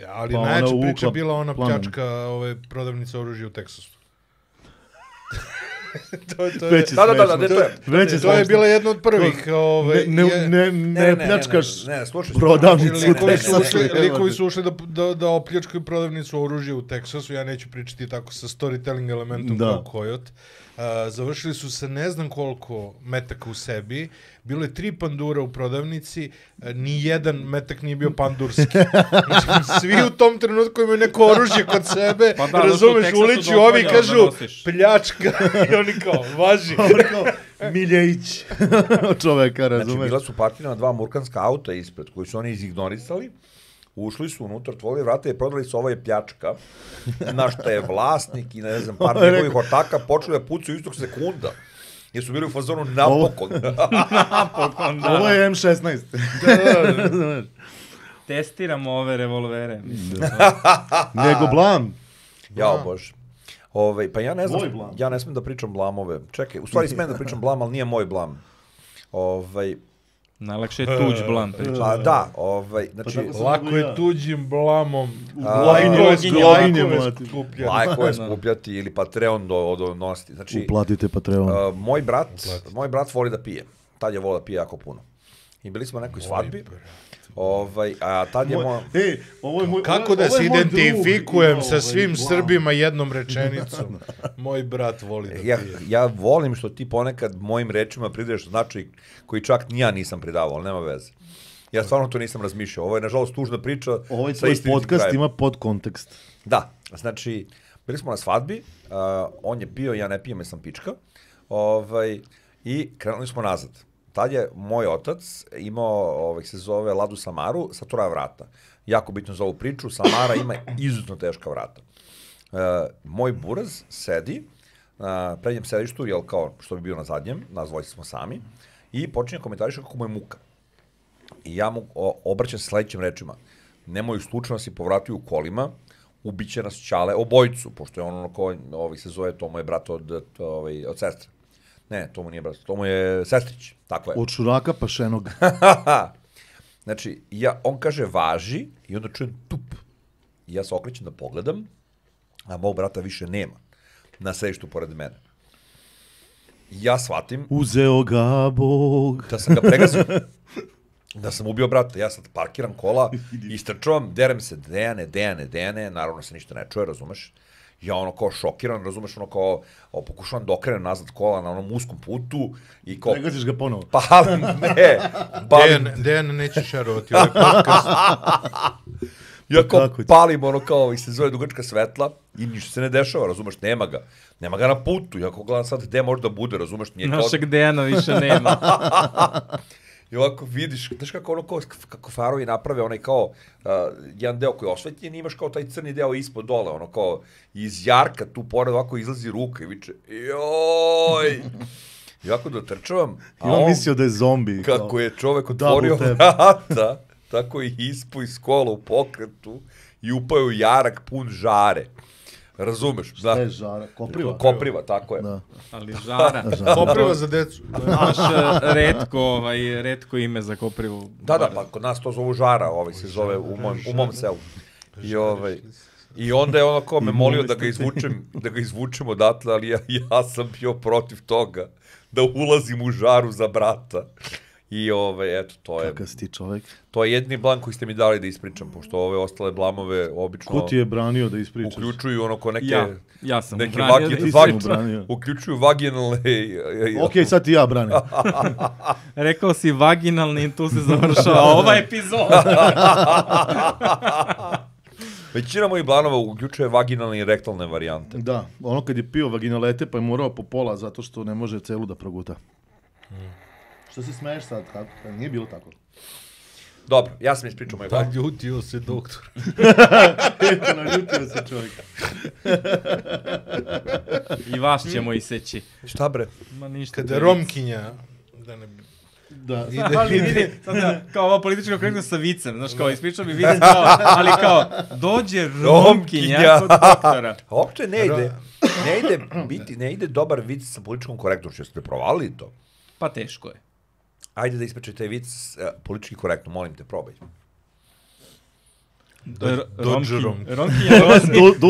Ali najjača priča je bila ona pljačka prodavnice oružja u Teksasu. To je bila jedna od prvih. Ne pljačkaš prodavnicu u Teksasu. Likovi su ušli da opljačkaju prodavnicu oružja u Teksasu, ja neću pričati tako sa storytelling elementom kao Coyote. Završili su sa ne znam koliko metaka u sebi, bilo je 3 pandura u prodavnici, ni jedan metak nije bio pandurski. Znači, svi u tom trenutku imaju neko oružje kod sebe, razumeš, uliči ovi kažu pljačka i oni kao, važi. Miljević čoveka, razumeš. Znači, bila su parkirana 2 murkanska auta ispred, koji su oni izignorisali, ušli su unutra, otvorili vrata i prodali su ovo je pljačka, na što je vlasnik i ne znam, par njegovih ortaka počeli da pucaju istog sekunda. Jer su bili u fazonu napokon. Napokon, da. Ovo je M16. Testiramo ove revolvere. Nego blam. Jao Bože. Pa ja ne znam, ja ne smijem da pričam blamove. Čekaj, u stvari smijem da pričam blam, ali nije moj blam. Najlakše je tuđ blam pričati. Pa da, znači... Lako je tuđim blamom. Lako je skupljati ili Patreon donositi. Znači, uplatite Patreon. Moj brat voli da pije. Tad je volio da pije jako puno. I bili smo na nekoj svadbi. A tad je kako da se identifikujem sa svim Srbima jednom rečenicom? Moj brat voli da pije. Ja volim što ti ponekad mojim rečima pridaješ značaj koji čak ni ja nisam pridavao, ali nema veze. Ja stvarno to nisam razmišljao. Ovo je, nažalost, tužna priča. Ovaj tvoj podcast ima podkontekst. Da, znači, bili smo na svadbi, on je pio, ja ne pijem, jer sam pička, i krenuli smo nazad. Tad je moj otac imao, se zove Ladu Samaru, sa troja vrata. Jako bitno za ovu priču, Samara ima izuzetno teška vrata. Moj buraz sedi na prednjem sedištu, jel kao što bi bio na zadnjem, nas dvojice smo sami, i počinje komentariša kako mu je muka. I ja mu obraćam se sledećim rečima. Nemoj slučajno si povratio u kolima, ubiće nas Ćale, obojicu, pošto je ono ko se zove, to mu je brat od sestre. Ne, to mu nije brat, to mu je sestrić, tako je. Od šuraka pašenog. Znači, on kaže važi i onda čujem tup. I ja se okrećem da pogledam, a mog brata više nema na sedištu pored mene. Ja shvatim... Uzeo ga Bog. Da sam ga pregazio. Da sam ubio brata. Ja sad parkiram kola, istrčavam, derem se, Dejane, naravno se ništa ne čuje, razumeš? Ja ono kao šokiran, razumeš, ono kao pokušavam da okrenem nazad kola na onom uskom putu i kao... Pregaziš ga ponovo. Palim, ne. Dejan neće šerovati ovaj podcast. Ja kao palim ono kao se zove dugačka svetla i ništa se ne dešava, razumeš, nema ga. Nema ga na putu, ja kao gledam sad gde može da bude, razumeš, nije kao... Našeg Dejana više nema. I ovako vidiš, znaš kako ono kako farovi naprave onaj kao jedan deo koji je osvetljen, imaš kao taj crni deo ispod dole, ono kao iz jarka tu pored ovako izlazi ruka i viče joj! I ovako dotrčavam, a on mislio da je zombi. Kako je čovek otvorio vrata, tako i ispo iz kola u pokretu i upao u jarak pun žare. Razumeš? Šta je žara? Kopriva? Kopriva, tako je. Da. Ali žara. Kopriva za decu. To je naš retko ime za koprivu. Da, pa kod nas to zovu žara, se zove u mom selu. I onda je ono ko me molio da ga izvučem odatle, ali ja sam bio protiv toga da ulazim u žaru za brata. I eto, to je... Kakav si ti čovek? To je jedini blan koji ste mi dali da ispričam, pošto ove ostale blamove obično... Ko ti je branio da ispričaš? Uključuju ono ko neke... Ja sam branio. Uključuju vaginalne... Okej, sad ti ja branim. Rekao si vaginalni i tu se završava ova epizoda. Većina mojih blanova uključuje vaginalne i rektalne varijante. Da, ono kad je pio vaginalete pa je morao po pola zato što ne može celu da proguta. Što se smeješ sad? Nije bilo tako. Dobro, ja sam ispričao moj blan. Naljutio se doktor. Eto, naljutio se čovjek. I vas ćemo iseći. Šta bre? Ma ništa. Kada Romkinja... Da. Ali vidi, sada kao ovo političko korektno sa vicem, znaš, kao ispričao bi vic, ali kao, dođe Romkinja kod doktora. Uopće ne ide dobar vic sa političkom korektnošću, jeste provalili to? Pa teško je. Ajde da ispričaj taj vic politički korektno, molim te, probaj.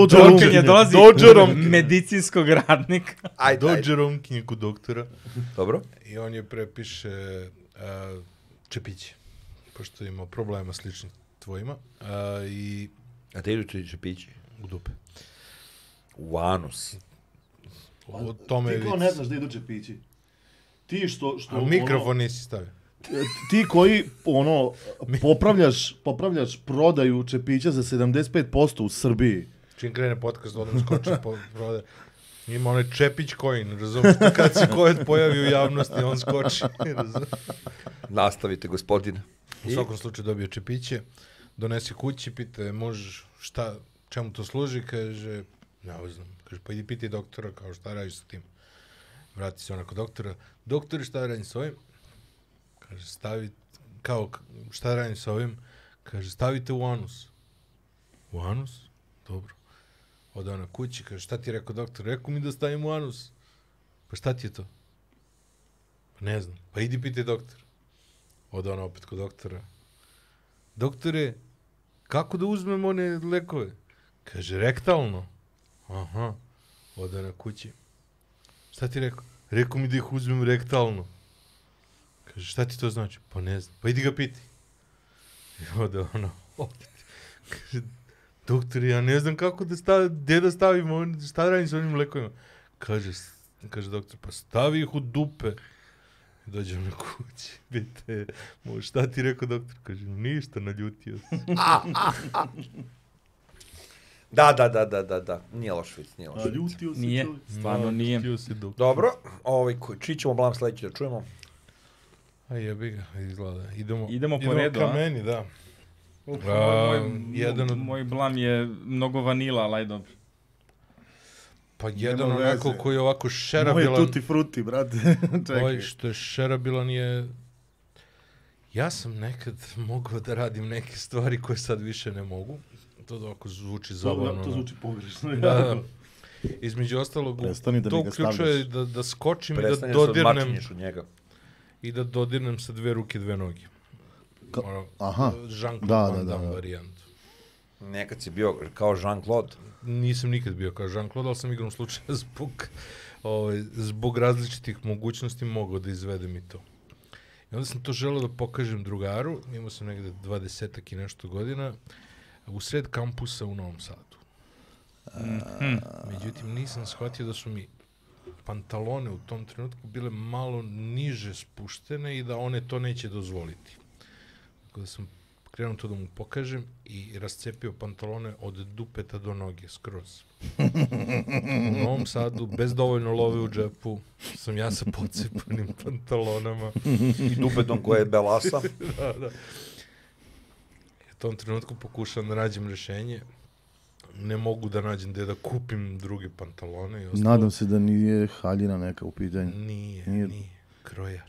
Romkinja dolazi medicinskog radnika. Dođe Romkinja kod doktora. Dobro. I on je prepiše čepiće, pošto ima problema sličnih tvojima. A te idu ti čepići? U dupe. U anus. Ti ko ne znaš da idu čepići? Ti što a mikrofon nisi stavio. Ti koji popravljaš prodaju čepića za 75% u Srbiji. Čim krene podcast, odmah skoči po prodaju. Ima onaj Čepić coin, razumiješ? Kad se COVID pojavi u javnosti, on skoči. Nastavite, gospodine. U svakom slučaju dobio čepiće, donesi kući, pita, možeš čemu to služi? Kaže, ne znam. Kaže, pa idi piti doktora, kao šta radiš sa tim? Vrati se onako doktora. Doktori, šta radim s ovim? Kaže, šta radim s ovim? Kaže, stavite u anus. U anus? Dobro. Ode ona kući, kaže, šta ti je rekao doktor? Rekao mi da stavim u anus. Pa šta ti je to? Pa ne znam. Pa idi piti doktor. Ode ona opet kod doktora. Doktore, kako da uzmem one lekove? Kaže, rektalno. Aha. Ode na kući. Šta ti rekao? Rekao mi da ih uzmem rektalno. Kaže, šta ti to znači? Pa ne znam. Pa idi ga piti. I ode ono, opet. Kaže, doktor, ja ne znam kako gde da stavim, šta radim s onim lekovima? Kaže doktor, pa stavi ih u dupe. I dođem na kući. Bite, šta ti rekao doktor? Kaže, ništa, naljutio se. Da. Nije loš vic, nije loš vic. Ljutio se Nije, čovjek. stvarno nije. Dobro, čiji ćemo blam sledeći da čujemo? A jebi ga, izgleda. Idemo po redu, ka meni, da. Moj blam je mnogo vanila, ali aj dobro. Pa jedan onako koji je ovako šerabilan... Moje tutti frutti, brate. Ovaj što je šerabilan je... Ja sam nekad mogao da radim neke stvari koje sad više ne mogu. To ovako zvuči zabavno. To zvuči pogrešno. Da. Između ostalog, to uključuje da skočim i da dodirnem... I da dodirnem sa 2 ruke, 2 noge. Aha. Jean-Claude Van Damme varijantu. Nekad si bio kao Jean-Claude. Nisam nikad bio kao Jean-Claude, ali sam igrom slučaja zbog različitih mogućnosti mogao da izvedem i to. I onda sam to želeo da pokažem drugaru, imao sam negde 20 i nešto godina, u sred kampusa u Novom Sadu. Međutim, nisam shvatio da su mi pantalone u tom trenutku bile malo niže spuštene i da one to neće dozvoliti. Tako da sam krenuo to da mu pokažem i rascepio pantalone od dupeta do noge, skroz. U Novom Sadu, bez dovoljno love u džepu, sam ja sa pocepanim pantalonama. I dupetom koje je belasa. Da. U tom trenutku pokušam da nađem rešenje. Ne mogu da nađem gde da kupim druge pantalone. Nadam se da nije haljina neka u pitanju. Nije. Krojač.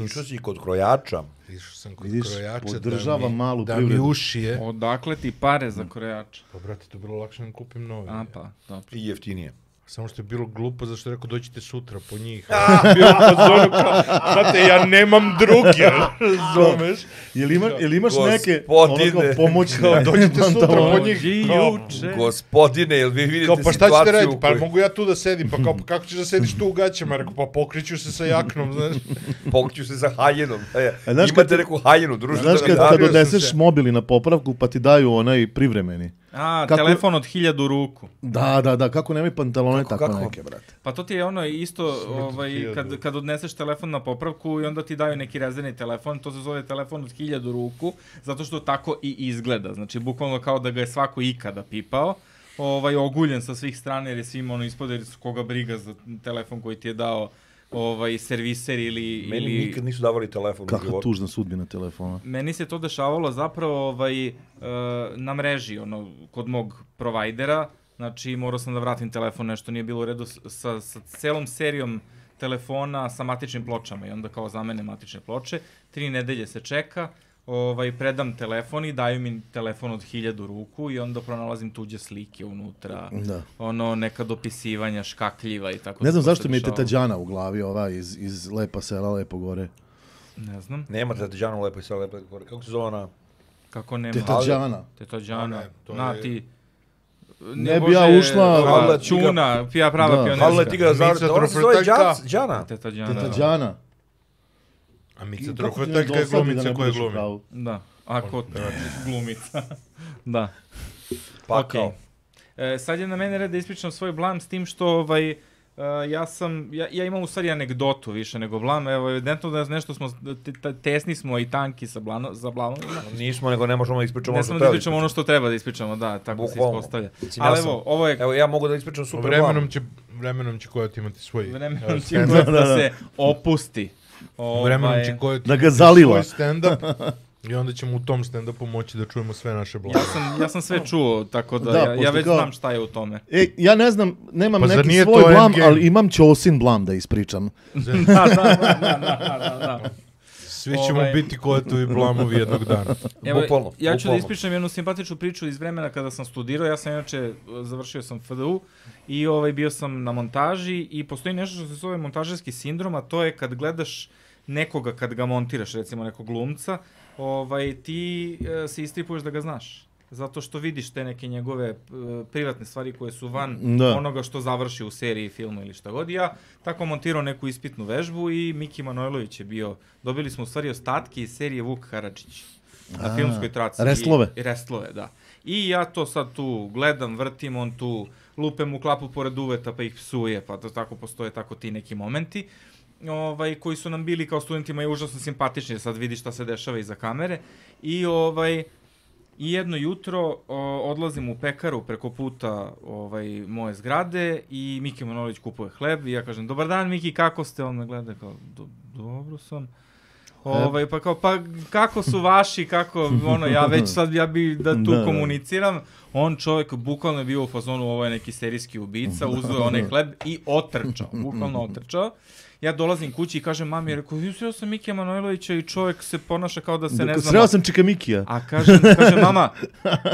Išao si kod krojača. Išao sam kod krojača podržava malu da privredu. mi ušije. Odakle ti pare za krojača? Pa, brate, to je bilo lakše da kupim nove. A, pa, dobro. I jeftinije. Samo što je bilo glupo, zašto je rekao dođite sutra po njih. Bio u fazonu kao, znate, ja nemam druge, razumeš? Jel imaš neke pomoćne? Dođite sutra po njih. Gospodine, jel vi vidite situaciju? Pa šta ćete raditi? Pa mogu ja tu da sedim, pa kako ćeš da sediš tu u gaćama? Rekao, pa pokriću se sa jaknom, znaš. Pokriću se sa haljenom. Imate neku haljenu, družite. Znaš kad odneseš mobili na popravku, pa ti daju onaj privremeni. Telefon od 1000 ruku. Da, kako nemaju pantalone, tako neke, brate. Pa to ti je ono isto, kad odneseš telefon na popravku i onda ti daju neki rezervni telefon, to se zove telefon od 1000 ruku, zato što tako i izgleda. Znači, bukvalno kao da ga je svako ikada pipao, oguljen sa svih strana jer je svima ono ispod, jer koga briga za telefon koji ti je dao serviser ili... Meni nikad nisu davali telefon u životu. Kakva tužna sudbina telefona. Meni se to dešavalo zapravo na mreži, kod mog provajdera. Znači, morao sam da vratim telefon, nešto nije bilo u redu sa celom serijom telefona sa matičnim pločama i onda kao zamene matične ploče. 3 nedelje se čeka, predam telefon i daju mi telefon od 1000 ruku i onda pronalazim tuđe slike unutra, neka dopisivanja, škakljiva i tako. Ne znam zašto mi je teta Đana u glavi, ova iz Lepa sela, Lepo gore. Ne znam. Nema teta Đana u Lepo sela, Lepo gore. Kako se zove ona? Kako nema? Teta Đana. Teta Đana. Ti... Ne bi ja ušla... Čuna, prava pionerska. Havle tigra Đana. Teta Đana. A Mica Trofeteljka je glumica koja glumi. Da, ako glumica. Da. Pa kao. Sad je na mene red da ispričam svoj blam s tim što ja imam u stvari anegdotu više nego blam. Evo, evidentno da nešto smo, tesni smo i tanki za blamovima. Nismo, nego ne možemo da ispričamo ono što treba da ispričamo. ono što treba da ispričamo, da, tako se ispostavlja. Ali evo, ovo je... Evo, ja mogu da ispričam super blam. Vremenom će Kojot imati svoj... Vremenom će Kojot da se opusti. Vremenom će Kojot da ga zalila. Svoj stand-up i onda ćemo u tom stand-upu moći da čujemo sve naše blame. Ja sam sve čuo, tako da ja već znam šta je u tome. Ja ne znam, nemam neki svoj blam, ali imam Ćosin blam da ispričam. Da. Svi ćemo biti Kojetovi blamovi jednog dana. Evo, ja ću da ispričam jednu simpatičnu priču iz vremena kada sam studirao. Ja sam inače, završio sam FDU i bio sam na montaži i postoji nešto što se zove montažerski sindrom, a to je kad gledaš nekoga, kad ga montiraš, recimo nekog glumca, ti se istripuješ da ga znaš. Zato što vidiš te neke njegove privatne stvari koje su van onoga što završi u seriji, filmu ili šta god. Ja tako montirao neku ispitnu vežbu i Miki Manojlović je bio, dobili smo u stvari ostatke iz serije Vuk Karadžić na filmskoj traci. Restlove, da. I ja to sad tu gledam, vrtim, on tu lupe mu klapu pored uveta pa ih psuje, pa to tako postoje tako ti neki momenti. Koji su nam bili kao studentima i užasno simpatični, sad vidi šta se dešava iza kamere. I jedno jutro odlazim u pekaru preko puta moje zgrade i Miki Manojlović kupuje hleb i ja kažem, dobar dan Miki, kako ste? On me gleda kao, dobro sam. Pa kao, pa kako su vaši, kako, ja već sad, ja bi da tu komuniciram. On čovjek bukvalno je bio u fazonu, ovo je neki serijski ubica, uzeo onaj hleb i otrčao, bukvalno otrčao. Ja dolazim kući i kažem mami, rekao, sreo sam Mikija Manojlovića i čovjek se ponaša kao da se ne znamo. Sreo sam Čika Mikija. A kaže mama,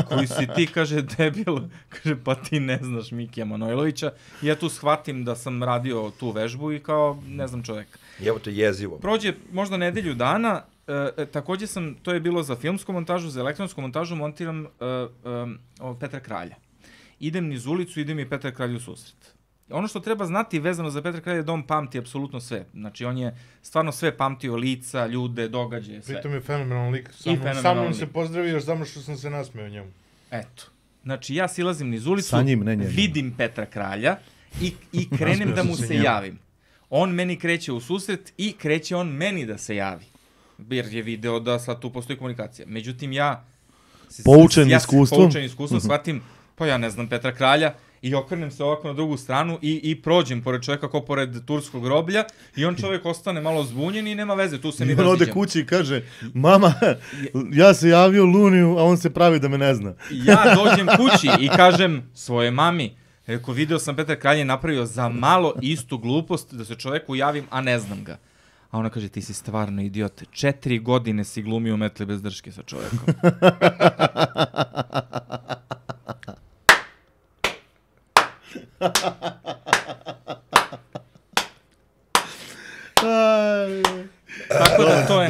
koji si ti, kaže, debil, kaže, pa ti ne znaš Mikija Manojlovića. I ja tu shvatim da sam radio tu vežbu i kao, ne znam čovjeka. Evo te jezivo. Prođe možda nedelju dana, takođe to je bilo za filmsku montažu, za elektronsku montažu, montiram Petra Kralja. Idem niz ulicu, idem i Petra Kralju u susret. Ono što treba znati vezano za Petra Kralja je da on pamti apsolutno sve. Znači, on je stvarno sve pamtio, lica, ljude, događaje, sve. Pritom je fenomenalan lik. Sa mnom se pozdravio još samo što sam se nasmeo njemu. Eto. Znači, ja silazim niz ulicu, vidim Petra Kralja i krenem da mu se javim. On meni kreće u susret i kreće on meni da se javi. Jer je video da sad tu postoji komunikacija. Međutim, ja poučen iskustvom, shvatim, pa ja ne znam Petra Kralja, i okrenem se ovako na drugu stranu i prođem pored čovjeka kao pored turskog groblja i on čovjek ostane malo zbunjen i nema veze, tu se mi raziđemo. I on ode kući i kaže, mama, ja se javio Luniju, a on se pravi da me ne zna. Ja dođem kući i kažem svoje mami, rekao, video sam Petar Kralj je napravio za malo istu glupost da se čovjeku javim, a ne znam ga. A ona kaže, ti si stvarno idiot, 4 godine si glumio Metli bez drške sa čovjekom. Tako da to je.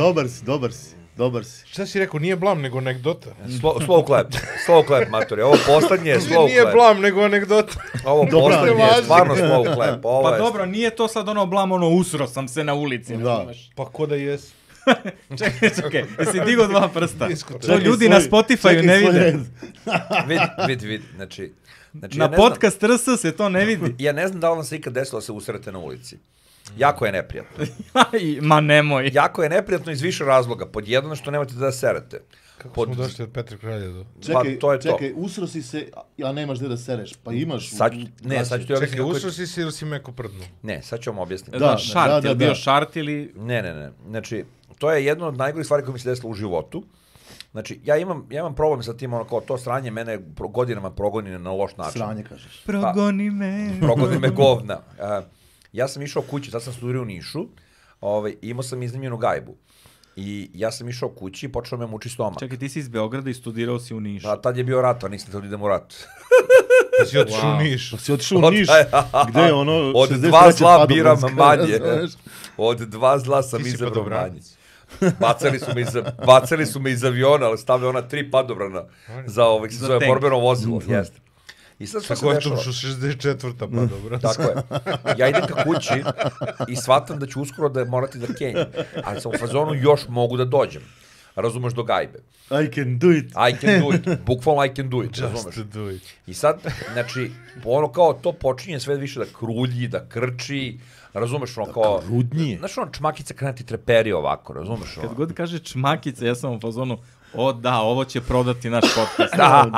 Dobar si. Šta si rekao, nije blam, nego anegdota. Slow clap, maturi. Ovo poslednje je slow clap. Nije blam, nego anegdota. Ovo poslednje je stvarno slow clap. Pa dobro, nije to sad ono blam, usro sam se na ulici. Pa ko da jes? Čekaj, jesi digao 2 prsta. To ljudi na Spotify-u ne vide. Vidi, znači... Na podcast RS se to ne vidi. Ja ne znam da li vam se ikad desilo da se usrete na ulici. Jako je neprijatno. Ma nemoj. Jako je neprijatno iz više razloga. Pod jedno što nemate da serete. Kako smo došli od Petra Kralja do... Čekaj, usro si se, a nemaš gde da sereš. Pa imaš... Sad ću ti objasniti. Čekaj, usro si se ili si meko prdnu? Ne, sad ću vam objasniti. Šart, je li bio šart ili... Ne. Znači, to je jedno od najgorih stvari koje mi se desilo u životu. Znači, ja imam problem sa tim, kao to sranje mene godinama progoni na loš način. Sranje, kažeš. Progoni me. Progoni me govna. Ja sam išao kući, sad sam studirao u Nišu, imao sam iznimljenu gajbu. I ja sam išao kući i počeo me muči stomak. Čekaj, ti si iz Beograda i studirao si u Nišu. Pa tad je bio rat, a nisam htio da idem u rat. Pa si otišao u Niš. Pa si otišao u Niš. Gde je ono... Od 2 zla biram manje. Od 2 zla sam izabrao manje. Bacali su me iz aviona, ali stavljaju ona 3 padobrana za se zove borbeno vozilo. Jeste. I sad što se dešava? Tako je to što 64. padobrana. Tako je. Ja idem ka kući i shvatam da ću uskoro da morati da kenjam. Ali sam u fazonu još mogu da dođem. Razumeš, do gajbe. I can do it. Bukvalno I can do it. Just do it. I sad, znači, ono kao to počinje sve više da krulji, da krči. Razumeš, ono kao... Da krudnije. Znaš, ono, čmakica krene ti treperi ovako, razumeš? Kad god kaže čmakica, ja sam u fazonu, ovo će prodati naš podcast.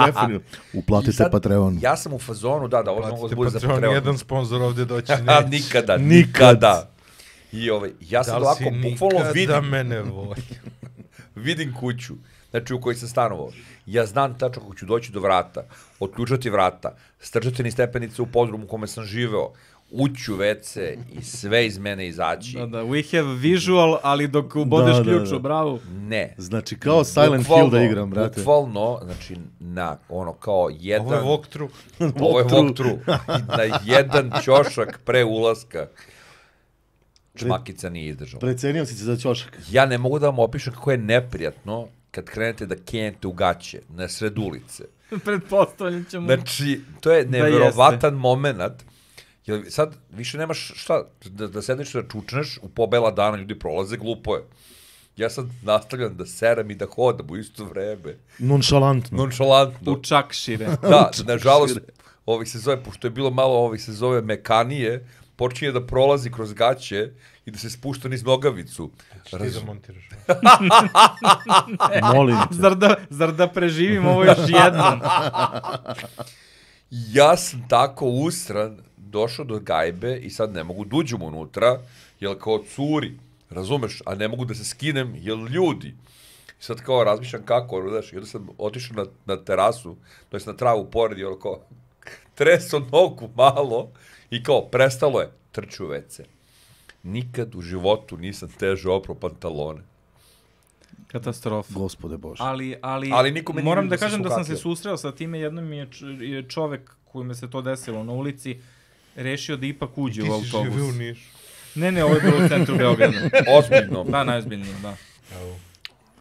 Definitivno. Uplatite Patreon. Ja sam u fazonu, da, ovo mogu da bude za Patreon. Jedan sponsor ovdje doći neće. Nikada. I ja sad ovako, bukvalno vidim... Da li si nikada mene voli? Vidim kuću, znači u kojoj sam stanovao. Ja znam tačno kako ću doći do vrata, otključati vrata, strčati ni stepenice u podrumu u kome sam živeo, ući u WC i sve iz mene izaći. Da, we have visual, ali dok ubodeš ključu, bravo. Ne. Znači, kao Silent Hill da igram, brate. Bukvalno, znači, na ono kao jedan... Ovo je walkthrough. Ovo je walkthrough. Na jedan ćošak pre ulaska čmakica nije izdržala. Precenio si se za ćošak. Ja ne mogu da vam opišem kako je neprijatno kad krenete da kenjete u gaće na sred ulice. Pretpostavljam ćemo... Znači, to je neverovatan moment. Sad više nemaš šta, da sedneš da čučneš, u pobela dana ljudi prolaze, glupo je. Ja sad nastavljam da serem i da hodam u isto vreme. Nonšalantno. U čakšire. Da, nažalost, pošto je bilo malo se zove mekanije, počinje da prolazi kroz gaće i da se spušta niz nogavicu. Ti da montiraš. Molim te. Zar da preživim ovo još jednom? Ja sam tako usran došao do gajbe i sad ne mogu da uđem unutra, jer kao curi, razumeš, a ne mogu da se skinem, jer ljudi. I sad kao razmišljam kako, znaš, i onda sam otišao na terasu, to jest na travu pored, i ono kao, treso nogu malo i kao, prestalo je, trču u WC. Nikad u životu nisam teže oprao pantalone. Katastrofa. Gospode Bože. Ali niko me moram nije da vidio kažem se da sam se sukatio. susreo sa time, jednom mi je čovek kojime se to desilo na ulici rešio da ipak uđe u Ti si autobus. živeo u Nišu. Ne, ovo je bilo u centru Beograda. Ozbiljno. Da, najozbiljnije, da.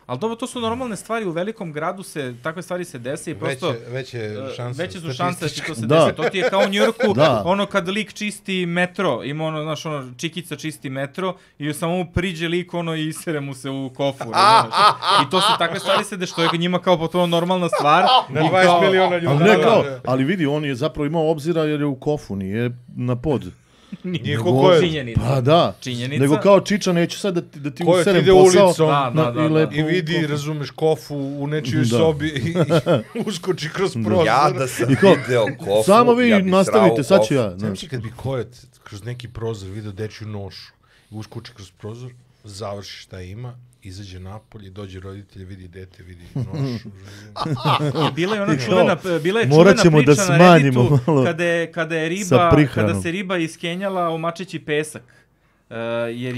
Ali dobro, to su normalne stvari, u velikom gradu takve stvari se dese i prosto... Veće su šanse da će to se desi. To ti je kao u Njujorku, ono kad lik čisti metro, ima ono, znaš, ono, čikica čisti metro i samo mu priđe lik, ono, i isere mu se u kofu. I to su takve stvari se deš, što je njima kao potpuno normalna stvar. Na 20 miliona ljudi. Ali ne kao, ali vidi, on je zapravo imao obzira jer je u kofu, nije na pod. Nije ko je. Činjenica. Pa da, Činjenica. nego kao Čiča, neću sad da ti Ko je userem ide posao. ulicom I i vidi, razumeš, kofu u nečijoj sobi i uskoči kroz prozor. Ja da sam video kofu, samo vi ja bi nastavite, srao sad ću ja. Znači kad bi Kojet kroz neki prozor video dečju nošu, uskoči kroz prozor, završi šta ima, izađe napolje, dođe roditelj, vidi dete, vidi nošu. Bila je ona čuvena ćemo priča da na smanjimo Redditu malo kada se riba iskenjala u mačeći pesak. Jer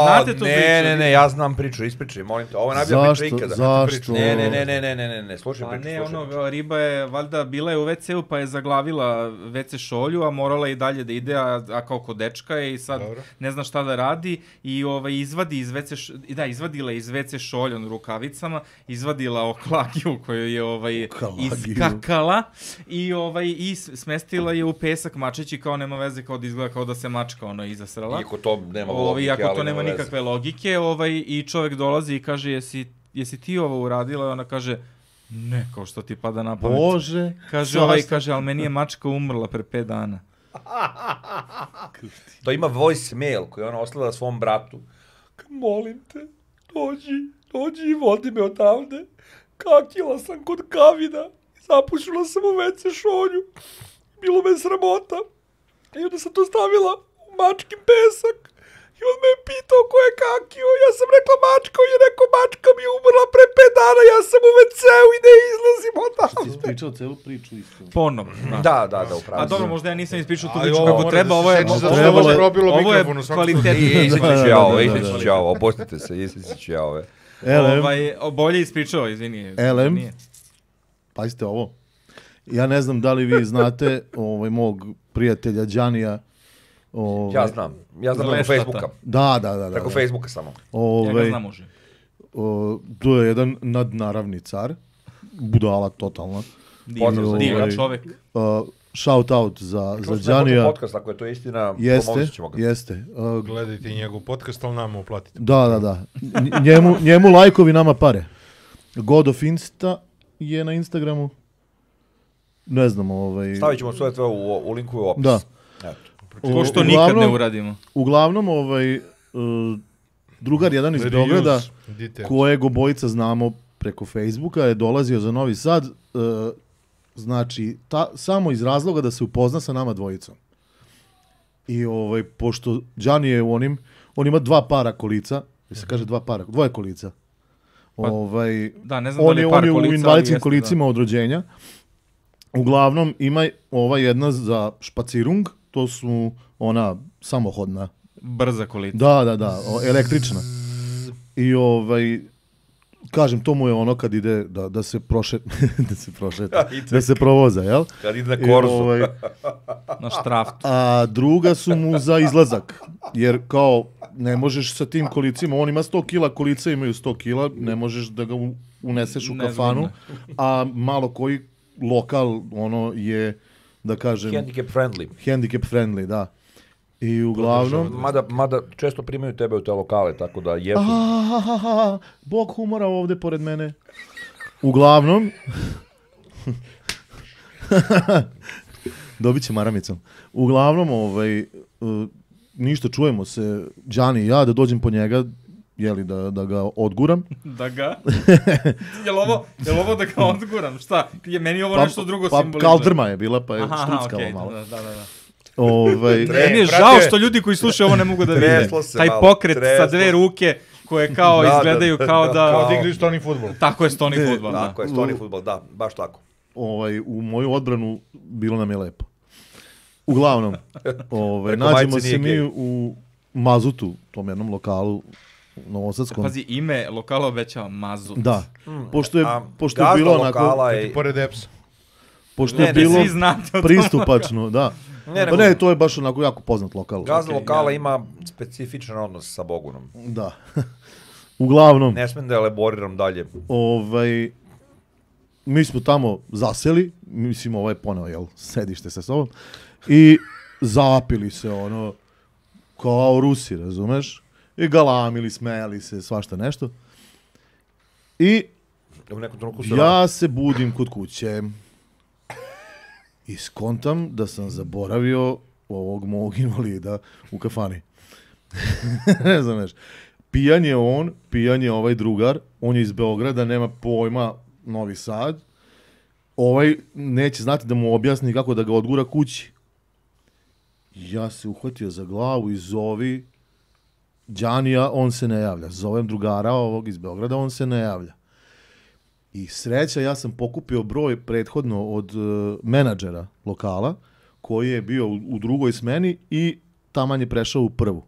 znate tu priču? Ne, ja znam priču, ispričaj, molim te. Ovo je najbolja priča ikada. Zašto? Ne, slušaj priču. Ne, ono, riba je, valjda, bila je u WC-u pa je zaglavila WC šolju, a morala je i dalje da ide, a kao kod dečka je i sad ne zna šta da radi i izvadila iz WC šolju rukavicama, izvadila oklagiju koju je iskakala i smestila je u pesak mačeći kao nema veze, kao da izgleda kao da se mačka izasrala. Iako to nema logike, iako to nema nikakve logike, i čovjek dolazi i kaže, jesi ti ovo uradila? I ona kaže, ne, kao što ti pada na pamet. Bože. Kaže, ali meni je mačka umrla pre 5 dana. To ima voicemail koji ona ostavila svom bratu. Molim te, dođi i vodi me odavde. Kakila sam kod Kavina. Zapušila sam u WC šolju. Bilo me sramota. I onda sam to stavila mačkin pesak i on me je pitao ko je kakio, ja sam rekla mačka, on je rekao mačka mi je umrla pre 5 dana, ja sam u WC-u i ne izlazim odavde. Što ti ispričao celu priču isto? Ponovno. Da, upravo. A dobro, možda ja nisam ispričao tu priču kako treba, ovo je kvalitetno. Ispričat ću ja ovo, opustite se, ispričat ću ja ove. Bolje ispričao, izvini. Pazite ovo. Ja ne znam da li vi znate mog prijatelja Đanija. Ja znam preko Facebooka. Da. Preko Facebooka samo. Ja ga znam uživo. To je jedan nadnaravni car. Budala totalna. Divan čovek. Shout out za Đanija. Podcast, ako je to istina, pomoći ćemo ga. Jeste. Gledajte njegov podcast, ali nama uplatite. Da. Njemu lajkovi, nama pare. God of Insta je na Instagramu. Ne znam, Stavit ćemo sve u linku u opis. Da. Ko što nikad ne uradimo. Uglavnom, drugar jedan iz Beograda, kojeg obojica znamo preko Facebooka, je dolazio za Novi Sad, znači, samo iz razloga da se upozna sa nama dvojicom. I pošto Đani je on ima 2 para kolica, se kaže 2 para, 2 kolica. Da, ne znam da li je par kolica. On je u invalidskim kolicima od rođenja. Uglavnom, ima ova jedna za špacirung, to su ona samohodna. Brza kolica. Da, električna. I kažem, to mu je ono kad ide da se prošeta, da se provoza, jel? Kad ide na korzu. Na štraftu. A druga su mu za izlazak, jer kao ne možeš sa tim kolicima, on ima 100 kila, kolica imaju 100 kila, ne možeš da ga uneseš u kafanu, a malo koji lokal, je, da kažem... Handicap friendly, da. I uglavnom... Mada često primaju tebe u te lokale, tako da jesu... Bog humora ovde pored mene. Uglavnom... Dobit će maramicom. Uglavnom, ništa, čujemo se, Đani i ja, da dođem po njega, jeli, da ga odguram. Da ga? Jel ovo da ga odguram? Šta? Meni ovo nešto drugo simbolizuje. Kaldrma je bila, pa je štuckala malo. Meni je žao što ljudi koji slušaju ovo ne mogu da vide. Taj pokret sa dve ruke koje kao izgledaju kao da... Kao da igraju stoni fudbal. Tako je stoni fudbal, da. Tako je stoni fudbal, da, baš tako. U moju odbranu bilo nam je lepo. Uglavnom, nađemo se mi u Mazutu, tom jednom lokalu novosadskom. Pazi, ime lokala obećava Mazut. Da, pošto je bilo onako... Pored EPS-a. Pošto je bilo pristupačno, da. Ne, to je baš onako jako poznat lokal. Gazda lokala ima specifičan odnos sa Bogunom. Da. Uglavnom... Ne smijem da elaboriram dalje. Mi smo tamo zaseli, mislim, poneo, sedište sa sobom, i zapili se, kao Rusi, razumeš? I galamili, smejali se, svašta nešto. I ja se budim kod kuće i skontam da sam zaboravio ovog mog invalida u kafani. Ne znaš, pijan je on, pijan je ovaj drugar, on je iz Beograda, nema pojma, Novi Sad. Neće znati da mu objasni kako da ga odgura kući. Ja se uhvatio za glavu i zovi Đanija, on se ne javlja. Zovem drugara ovog iz Beograda, on se ne javlja. I sreća, ja sam pokupio broj prethodno od menadžera lokala, koji je bio u drugoj smeni i taman je prešao u prvu.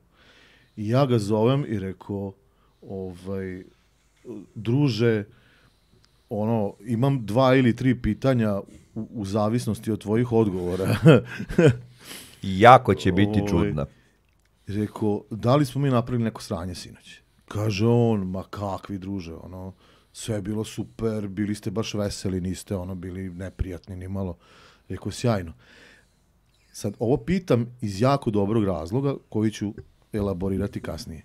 I ja ga zovem i rekao, druže, imam 2 ili 3 pitanja u zavisnosti od tvojih odgovora. Jako će biti čudna. Rekao, da li smo mi napravili neko sranje sinoć? Kaže on, ma kakvi druže, sve je bilo super, bili ste baš veseli, niste bili neprijatni ni malo. Rekao, sjajno. Sad, ovo pitam iz jako dobrog razloga, koji ću elaborirati kasnije.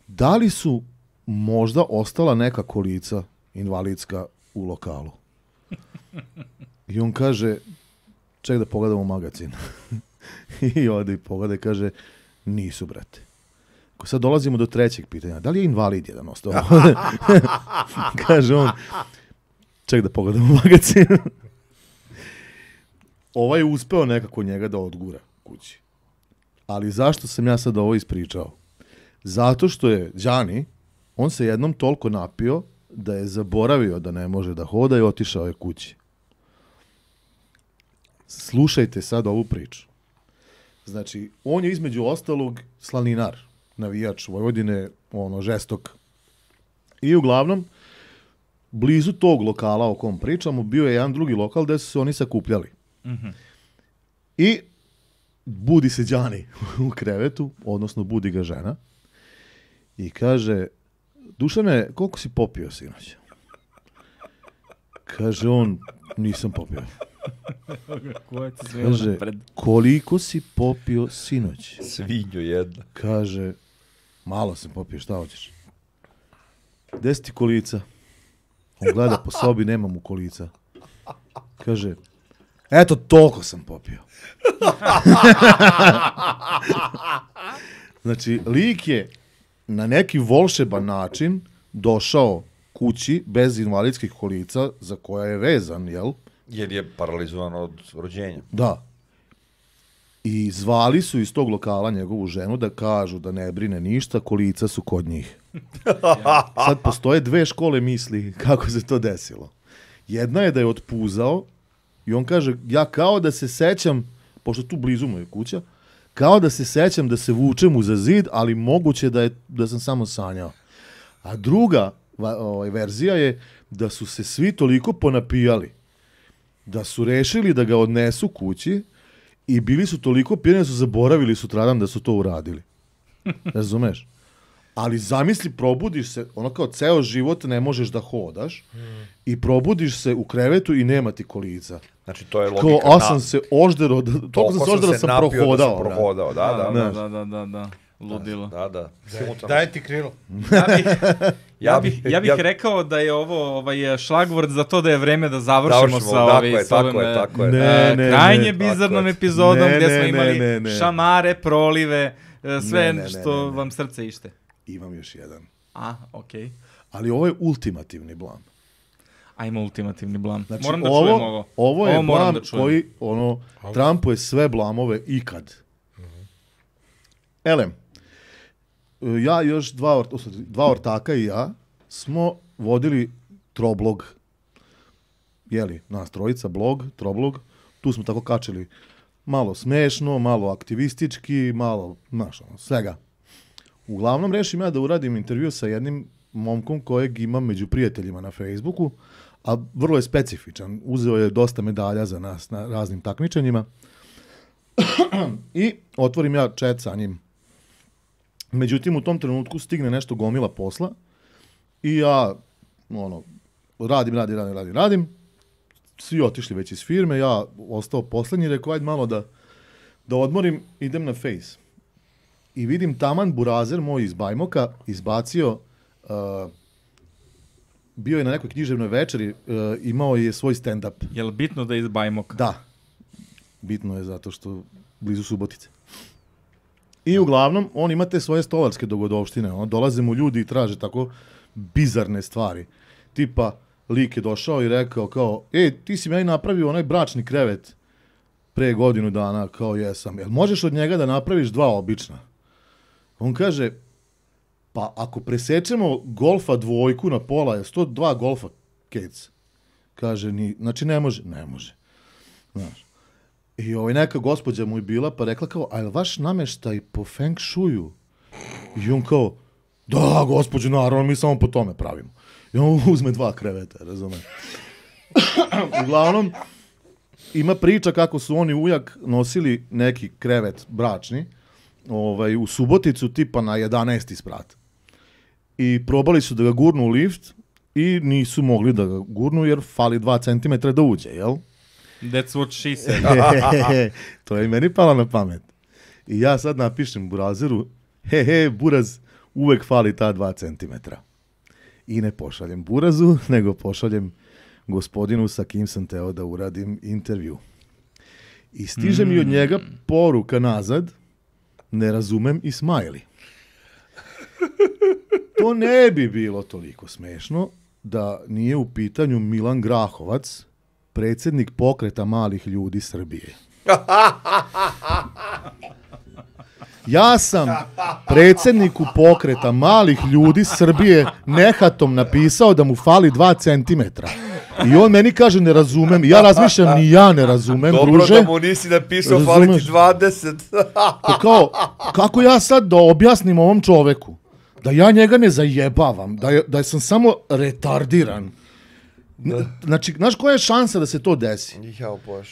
Da li su možda ostala neka kolica invalidska u lokalu? I on kaže, ček da pogledamo magazin. I ode i pogleda i kaže, nisu, brate. Sad dolazimo do trećeg pitanja. Da li je invalid jedan ostao? Kaže on, ček da pogledamo magazin. Ovaj je uspeo nekako njega da odgura kući. Ali zašto sam ja sad ovo ispričao? Zato što je Đani, on se jednom toliko napio da je zaboravio da ne može da hoda i otišao je kući. Slušajte sad ovu priču. Znači, on je između ostalog slaninar, navijač Vojvodine, žestok. I uglavnom, blizu tog lokala o kom pričamo, bio je jedan drugi lokal gde su se oni sakupljali. Mm-hmm. I budi se Đani u krevetu, odnosno budi ga žena, i kaže, Dušane, koliko si popio sinoć? Kaže on, nisam popio. Kaže, koliko si popio sinoć? Svinju jedna. Kaže, malo sam popio, šta hoćeš? 10 kolica. On gleda po sobi, nema mu kolica. Kaže, eto, toliko sam popio. Znači, lik je na neki volšeban način došao kući bez invalidskih kolica za koja je vezan, jel? Jer je paralizovan od rođenja. Da. I zvali su iz tog lokala njegovu ženu da kažu da ne brine ništa, kolica su kod njih. Sad postoje 2 škole misli kako se to desilo. Jedna je da je otpuzao i on kaže, ja kao da se sećam, pošto tu blizu mu je kuća, kao da se sećam da se vučem uza zid, ali moguće da sam samo sanjao. A druga verzija je da su se svi toliko ponapijali da su rešili da ga odnesu kući i bili su toliko pijeni da su zaboravili sutradan da su to uradili. Razumeš? Ali zamisli, probudiš se, kao ceo život ne možeš da hodaš i probudiš se u krevetu i nema ti kolica. Znači, to je logika. Sam se oždero, toliko sam se oždero da sam prohodao. Da. Ludilo. Da. Daj ti krilo. Ja bih rekao da je ovo šlagvord za to da je vreme da završimo sa ovim krajnje bizarnom epizodom gdje smo imali šamare, prolive, sve što vam srce ište. Imam još jedan. Okej. Ali ovo je ultimativni blam. Ajmo ultimativni blam. Znači, moram da čujem ovo. Ovo je blam koji, trampuje sve blamove ikad. Elem, ja još dva ortaka i ja smo vodili troblog. Jeli, nas trojica, troblog. Tu smo tako kačili malo smešno, malo aktivistički, malo, svega. Uglavnom, rešim ja da uradim intervju sa jednim momkom kojeg imam među prijateljima na Facebooku, a vrlo je specifičan. Uzeo je dosta medalja za nas na raznim takmičenjima. I otvorim ja chat sa njim. Međutim, u tom trenutku stigne nešto gomila posla i ja, radim. Svi otišli već iz firme, ja ostao poslednji, rekao, ajde malo da odmorim, idem na Face. I vidim taman burazer moj iz Bajmoka izbacio, bio je na nekoj književnoj večeri, imao je svoj stand-up. Je li bitno da je iz Bajmoka? Da. Bitno je zato što blizu Subotice. I uglavnom, on ima te svoje stolarske dogodovštine. Dolaze mu ljudi i traže tako bizarne stvari. Tipa, lik je došao i rekao kao, ti si meni napravio onaj bračni krevet pre godinu dana, kao jesam. Jel možeš od njega da napraviš 2 obična? On kaže, pa ako presečemo golfa 2 na pola, je 102 golfa kec? Kaže, znači ne može. Ne može. Znaš. I neka gospođa mu je bila, pa rekla kao, a je li vaš nameštaj po feng shuju? I on kao, da, gospođo, naravno, mi samo po tome pravimo. I on uzme 2 kreveta, razumem. Uglavnom, ima priča kako su oni ujak nosili neki krevet bračni, u Suboticu, tipa na 11. sprat. I probali su da ga gurnu u lift i nisu mogli da ga gurnu jer fali 2 centimetra da uđe, jel? That's what she said. To je i meni palo na pamet. I ja sad napišem burazeru, buraz, uvek fali ta 2 centimetra. I ne pošaljem burazu, nego pošaljem gospodinu sa kim sam teo da uradim intervju. I stiže mi od njega poruka nazad, ne razumem i smajli. To ne bi bilo toliko smešno da nije u pitanju Milan Grahovac, predsjednik pokreta malih ljudi Srbije. Ja sam predsjedniku pokreta malih ljudi Srbije nehatom napisao da mu fali 2 centimetra. I on meni kaže ne razumem. I ja razmišljam, ni ja ne razumem, dobro, druže. Dobro da mu nisi napisao fali ti 20. Kao, kako ja sad da objasnim ovom čoveku? Da ja njega ne zajebavam. Da sam samo retardiran. Znači, znaš koja je šansa da se to desi?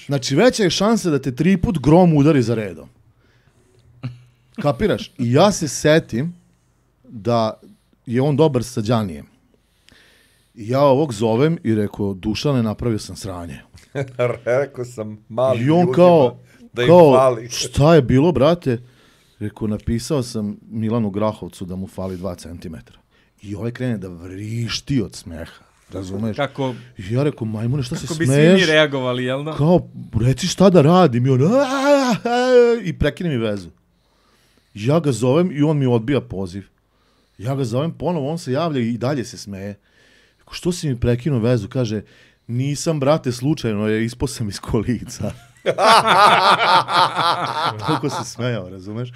Znači, veća je šansa da te 3 put grom udari za redom. Kapiraš? I ja se setim da je on dobar sa Đanijem. I ja ovog zovem i rekao, Dušane, napravio sam sranje. Rekao sam malim ljudima da im fali. Šta je bilo, brate? Rekao, napisao sam Milanu Grahovcu da mu fali 2 centimetra. I ovaj krene da vrišti od smeha. Razumeš? Kako? I ja rekao, majmune, šta se smeješ? Kako bi svi mi reagovali, jel da? Kao, reci šta da radim. I on, i prekine mi vezu. Ja ga zovem i on mi odbija poziv. Ja ga zovem ponovo, on se javlja i dalje se smeje. Rekao, što si mi prekinuo vezu? Kaže, nisam, brate, slučajno, ispao sam iz kolica. Toliko se smejao, razumeš?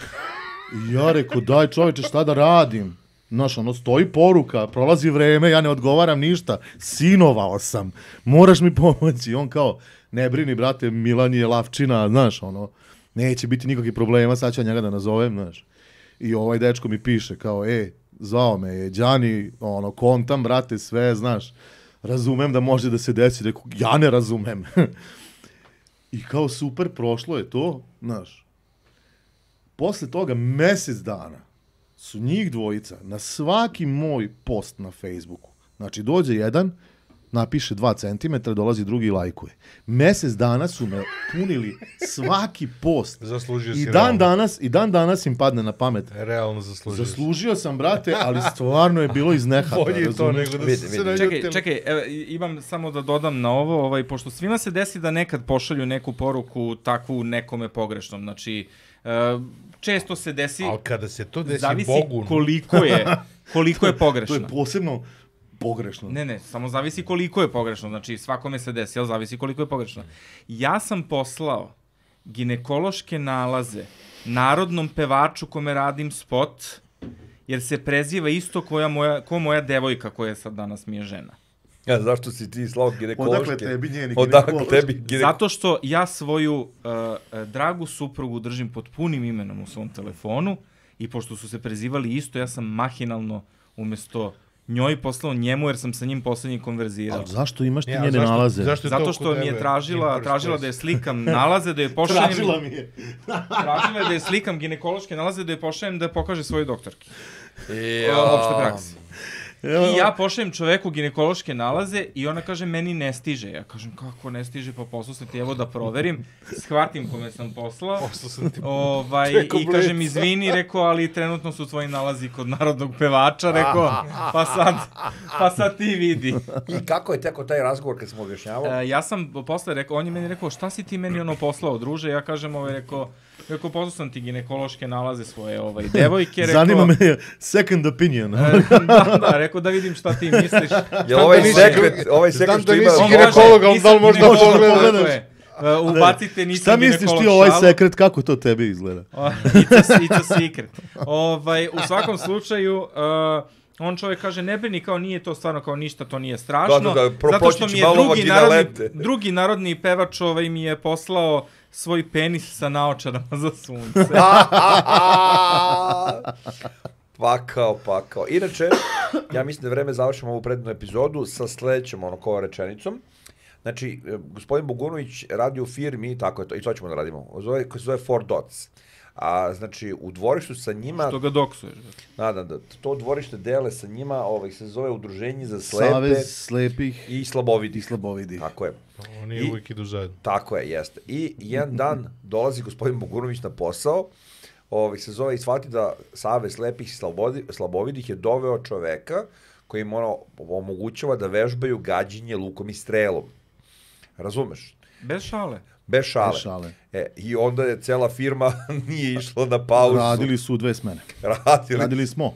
I ja rekao, daj čoveče, šta da radim? Znaš, stoji poruka, prolazi vreme, ja ne odgovaram ništa, sinovao sam, moraš mi pomoći. I on kao, ne brini, brate, Milan je lavčina, znaš, neće biti nikakvih problema, sad ću ja njega da nazovem, znaš. I ovaj dečko mi piše, kao, zvao me je Đani, kontam, brate, sve, znaš, razumem da može da se desi, rekao, ja ne razumem. I kao, super, prošlo je to, znaš. Posle toga, mesec dana, su njih dvojica na svaki moj post na Facebooku. Znači, dođe jedan, napiše 2 centimetra, dolazi drugi i lajkuje. Mesec dana su me punili svaki post. Zaslužio si I dan danas im padne na pamet. Realno zaslužio. Zaslužio sam, brate, ali stvarno je bilo iz nehata. Bolje to nego da se naljutili. Čekaj, imam samo da dodam na ovo, pošto svima se desi da nekad pošalju neku poruku takvu nekome pogrešnom. Znači, često se desi... Ali kada se to desi zavisi Bogu... koliko je pogrešno. To je posebno pogrešno. Ne, samo zavisi koliko je pogrešno. Znači, svakome se desi, ali zavisi koliko je pogrešno. Ja sam poslao ginekološke nalaze narodnom pevaču kome radim spot, jer se preziva isto ko moja devojka koja sad danas mi je žena. Ja, zašto si ti slao ginekološke? Odakle tebi njeni ginekološke? Zato što ja svoju dragu suprugu držim pod punim imenom u svom telefonu i pošto su se prezivali isto, ja sam mahinalno umjesto njoj poslao njemu, jer sam sa njim poslednji konverzirao. Ali zašto imaš ti njene nalaze? Zato što mi je tražila da je slikam nalaze, da je pošaljem... Tražila mi je. Tražila je da je slikam ginekološke nalaze, da je pošaljem da je pokaže svojoj doktorki. Opšte praksi. I ja pošaljem čoveku ginekološke nalaze i ona kaže, meni ne stiže. Ja kažem, kako ne stiže, pa poslao sam ti, evo da proverim. Shvatim kome sam poslao. I kažem, izvini, rekao, ali trenutno su tvoji nalazi kod narodnog pevača, rekao, pa sad ti vidi. I kako je teko taj razgovor kad sam objašnjavao? Ja sam posle rekao, on je meni rekao, šta si ti meni poslao, druže? Ja kažem, rekao, poslao sam ti ginekološke nalaze svoje devojke. Zanima me second opinion. Da, rekao da vidim šta ti misliš. Je ovaj sekret što ima... Znam da nisi ginekolog, ali da li možda pogledaš? Ubacite, nisam šta misliš ti ovaj sekret, kako to tebi izgleda? It's a secret. U svakom slučaju... On čovjek kaže, ne brini, kao nije to stvarno kao ništa, to nije strašno. Zato što mi je drugi narodni pevač mi je poslao svoj penis sa naočarama za sunce. Pakao. Inače, ja mislim da je vreme završimo ovu prednu epizodu sa sledećom rečenicom. Znači, gospodin Bogunović radi u firmi, tako je to, i to ćemo da radimo, koji se zove Four Dots. Znači, u dvorištu sa njima... Što ga doksuješ? Da, to dvorište dele sa njima, se zove Udruženje za slepe... Savez slepih i slabovidi. Tako je. Oni uvijek idu zajedno. Tako je, jeste. I jedan dan dolazi gospodin Bogunović na posao, se zove i shvati da Savez slepih i slabovidih je doveo čoveka koji im omogućava da vežbaju gađenje lukom i strelom. Razumeš? Bez šale. I onda je cela firma nije išla na pauzu. Radili su u 2 smene. Radili smo u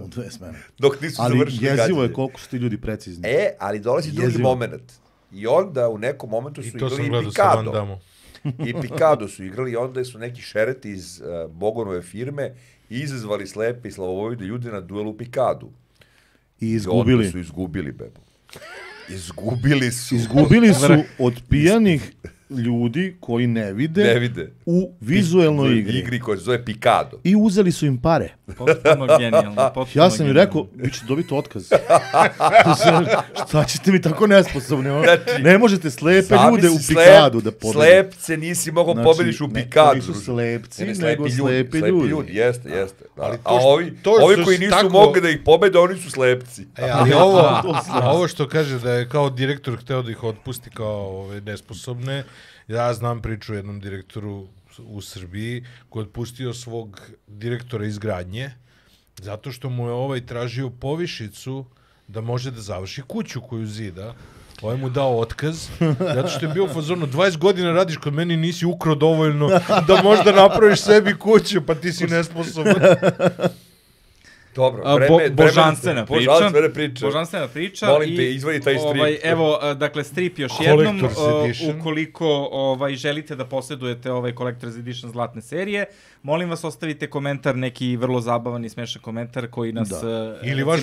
2 smene. Dok nisu završili gađenje. Ali jezivo je koliko su ti ljudi precizni. Ali dolazi drugi moment. I onda u nekom momentu su igrali i Pikado. I Pikado su igrali i onda su neki šereti iz Bogonove firme izazvali slepe i slavovide ljude na duelu Pikadu. I izgubili. I onda su izgubili, bebo. Izgubili su od pijanih ljudi koji ne vide u vizuelnoj igri koja se zove Pikado. I uzeli su im pare. Potpuno genijalno. Ja sam im rekao, vi ćete dobiti otkaz. Šta ćete mi tako nesposobni? Ne možete slepe ljude u Pikadu da pobedite. Slepce nisi mogao pobediš u Pikadu. Nisu slepci, nego slepi ljudi. Jeste. A ovi koji nisu mogli da ih pobede, oni su slepci. Ali ovo što kaže da je kao direktor hteo da ih otpusti kao nesposobne, ja znam priču o jednom direktoru u Srbiji koji je otpustio svog direktora izgradnje zato što mu je tražio povišicu da može da završi kuću koju zida. Ovaj mu dao otkaz, zato što je bio u fazonu 20 godina radiš kod meni, nisi ukrao dovoljno da možda napraviš sebi kuću, pa ti si nesposoban. Dobro, božanstvena priča. Molim te, izvadi taj strip. Evo, dakle, strip još jednom. Ukoliko želite da posjedujete Collector's Edition zlatne serije, molim vas, ostavite komentar, neki vrlo zabavan i smešan komentar koji nas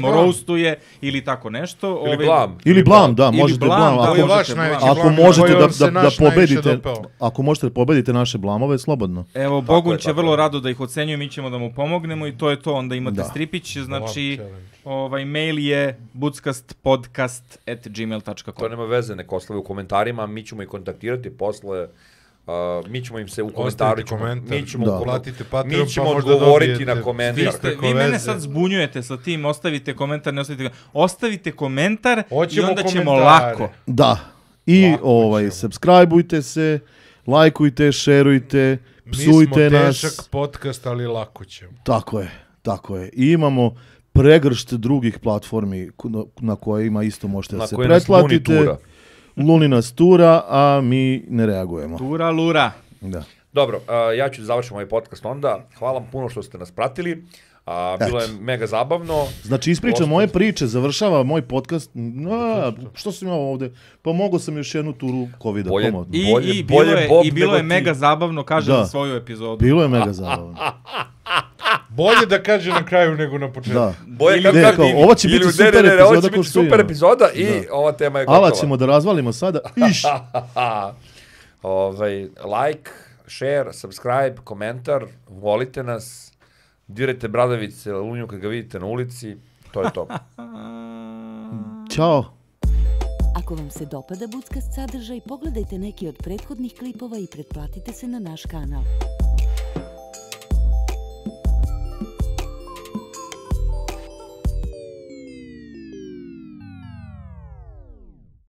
roastuje ili tako nešto. Ili blam, da, možete blam. Ako možete da pobedite naše blamove, slobodno. Evo, Bogun će vrlo rado da ih ocenjuje, mi ćemo da mu pomognemo i to je to, onda imate stripić. Znači, mail je buckastpodcast@gmail.com. To nema veze, neko ostavi u komentarima, mi ćemo ih kontaktirati posle mi ćemo im se u komentaru, mi ćemo odgovoriti na komentar. Vi mene sad zbunjujete sa tim, ostavite komentar, ne ostavite komentar. Ostavite komentar i onda ćemo lako. Da. I subscribeujte se, lajkujte, šerujte, psujte nas. Mi smo težak podcast, ali lako ćemo. Tako je. I imamo pregršt drugih platformi na kojima isto možete da se pretplatite. Luni nas tura, a mi ne reagujemo. Tura lura. Da. Dobro, ja ću završiti ovaj podcast onda. Hvala vam puno što ste nas pratili. Bilo je mega zabavno. Znači, ispričam moje priče, završava moj podcast. Što sam imao ovde? Pa mogao sam još jednu turu COVID-a. I bilo je mega zabavno, kaže za svoju epizodu. Bilo je mega zabavno. Bolje da kaže na kraju nego na početku. Da. Ovo će biti super epizoda. Ovo će biti super epizoda i ova tema je gotova. Ala ćemo da razvalimo sada. Like, share, subscribe, komentar, volite nas, dirajte bradavice, lunju kad ga vidite na ulici, to je to. Ćao. Ako vam se dopada Buckast sadržaj, pogledajte neki od prethodnih klipova i pretplatite se na naš kanal.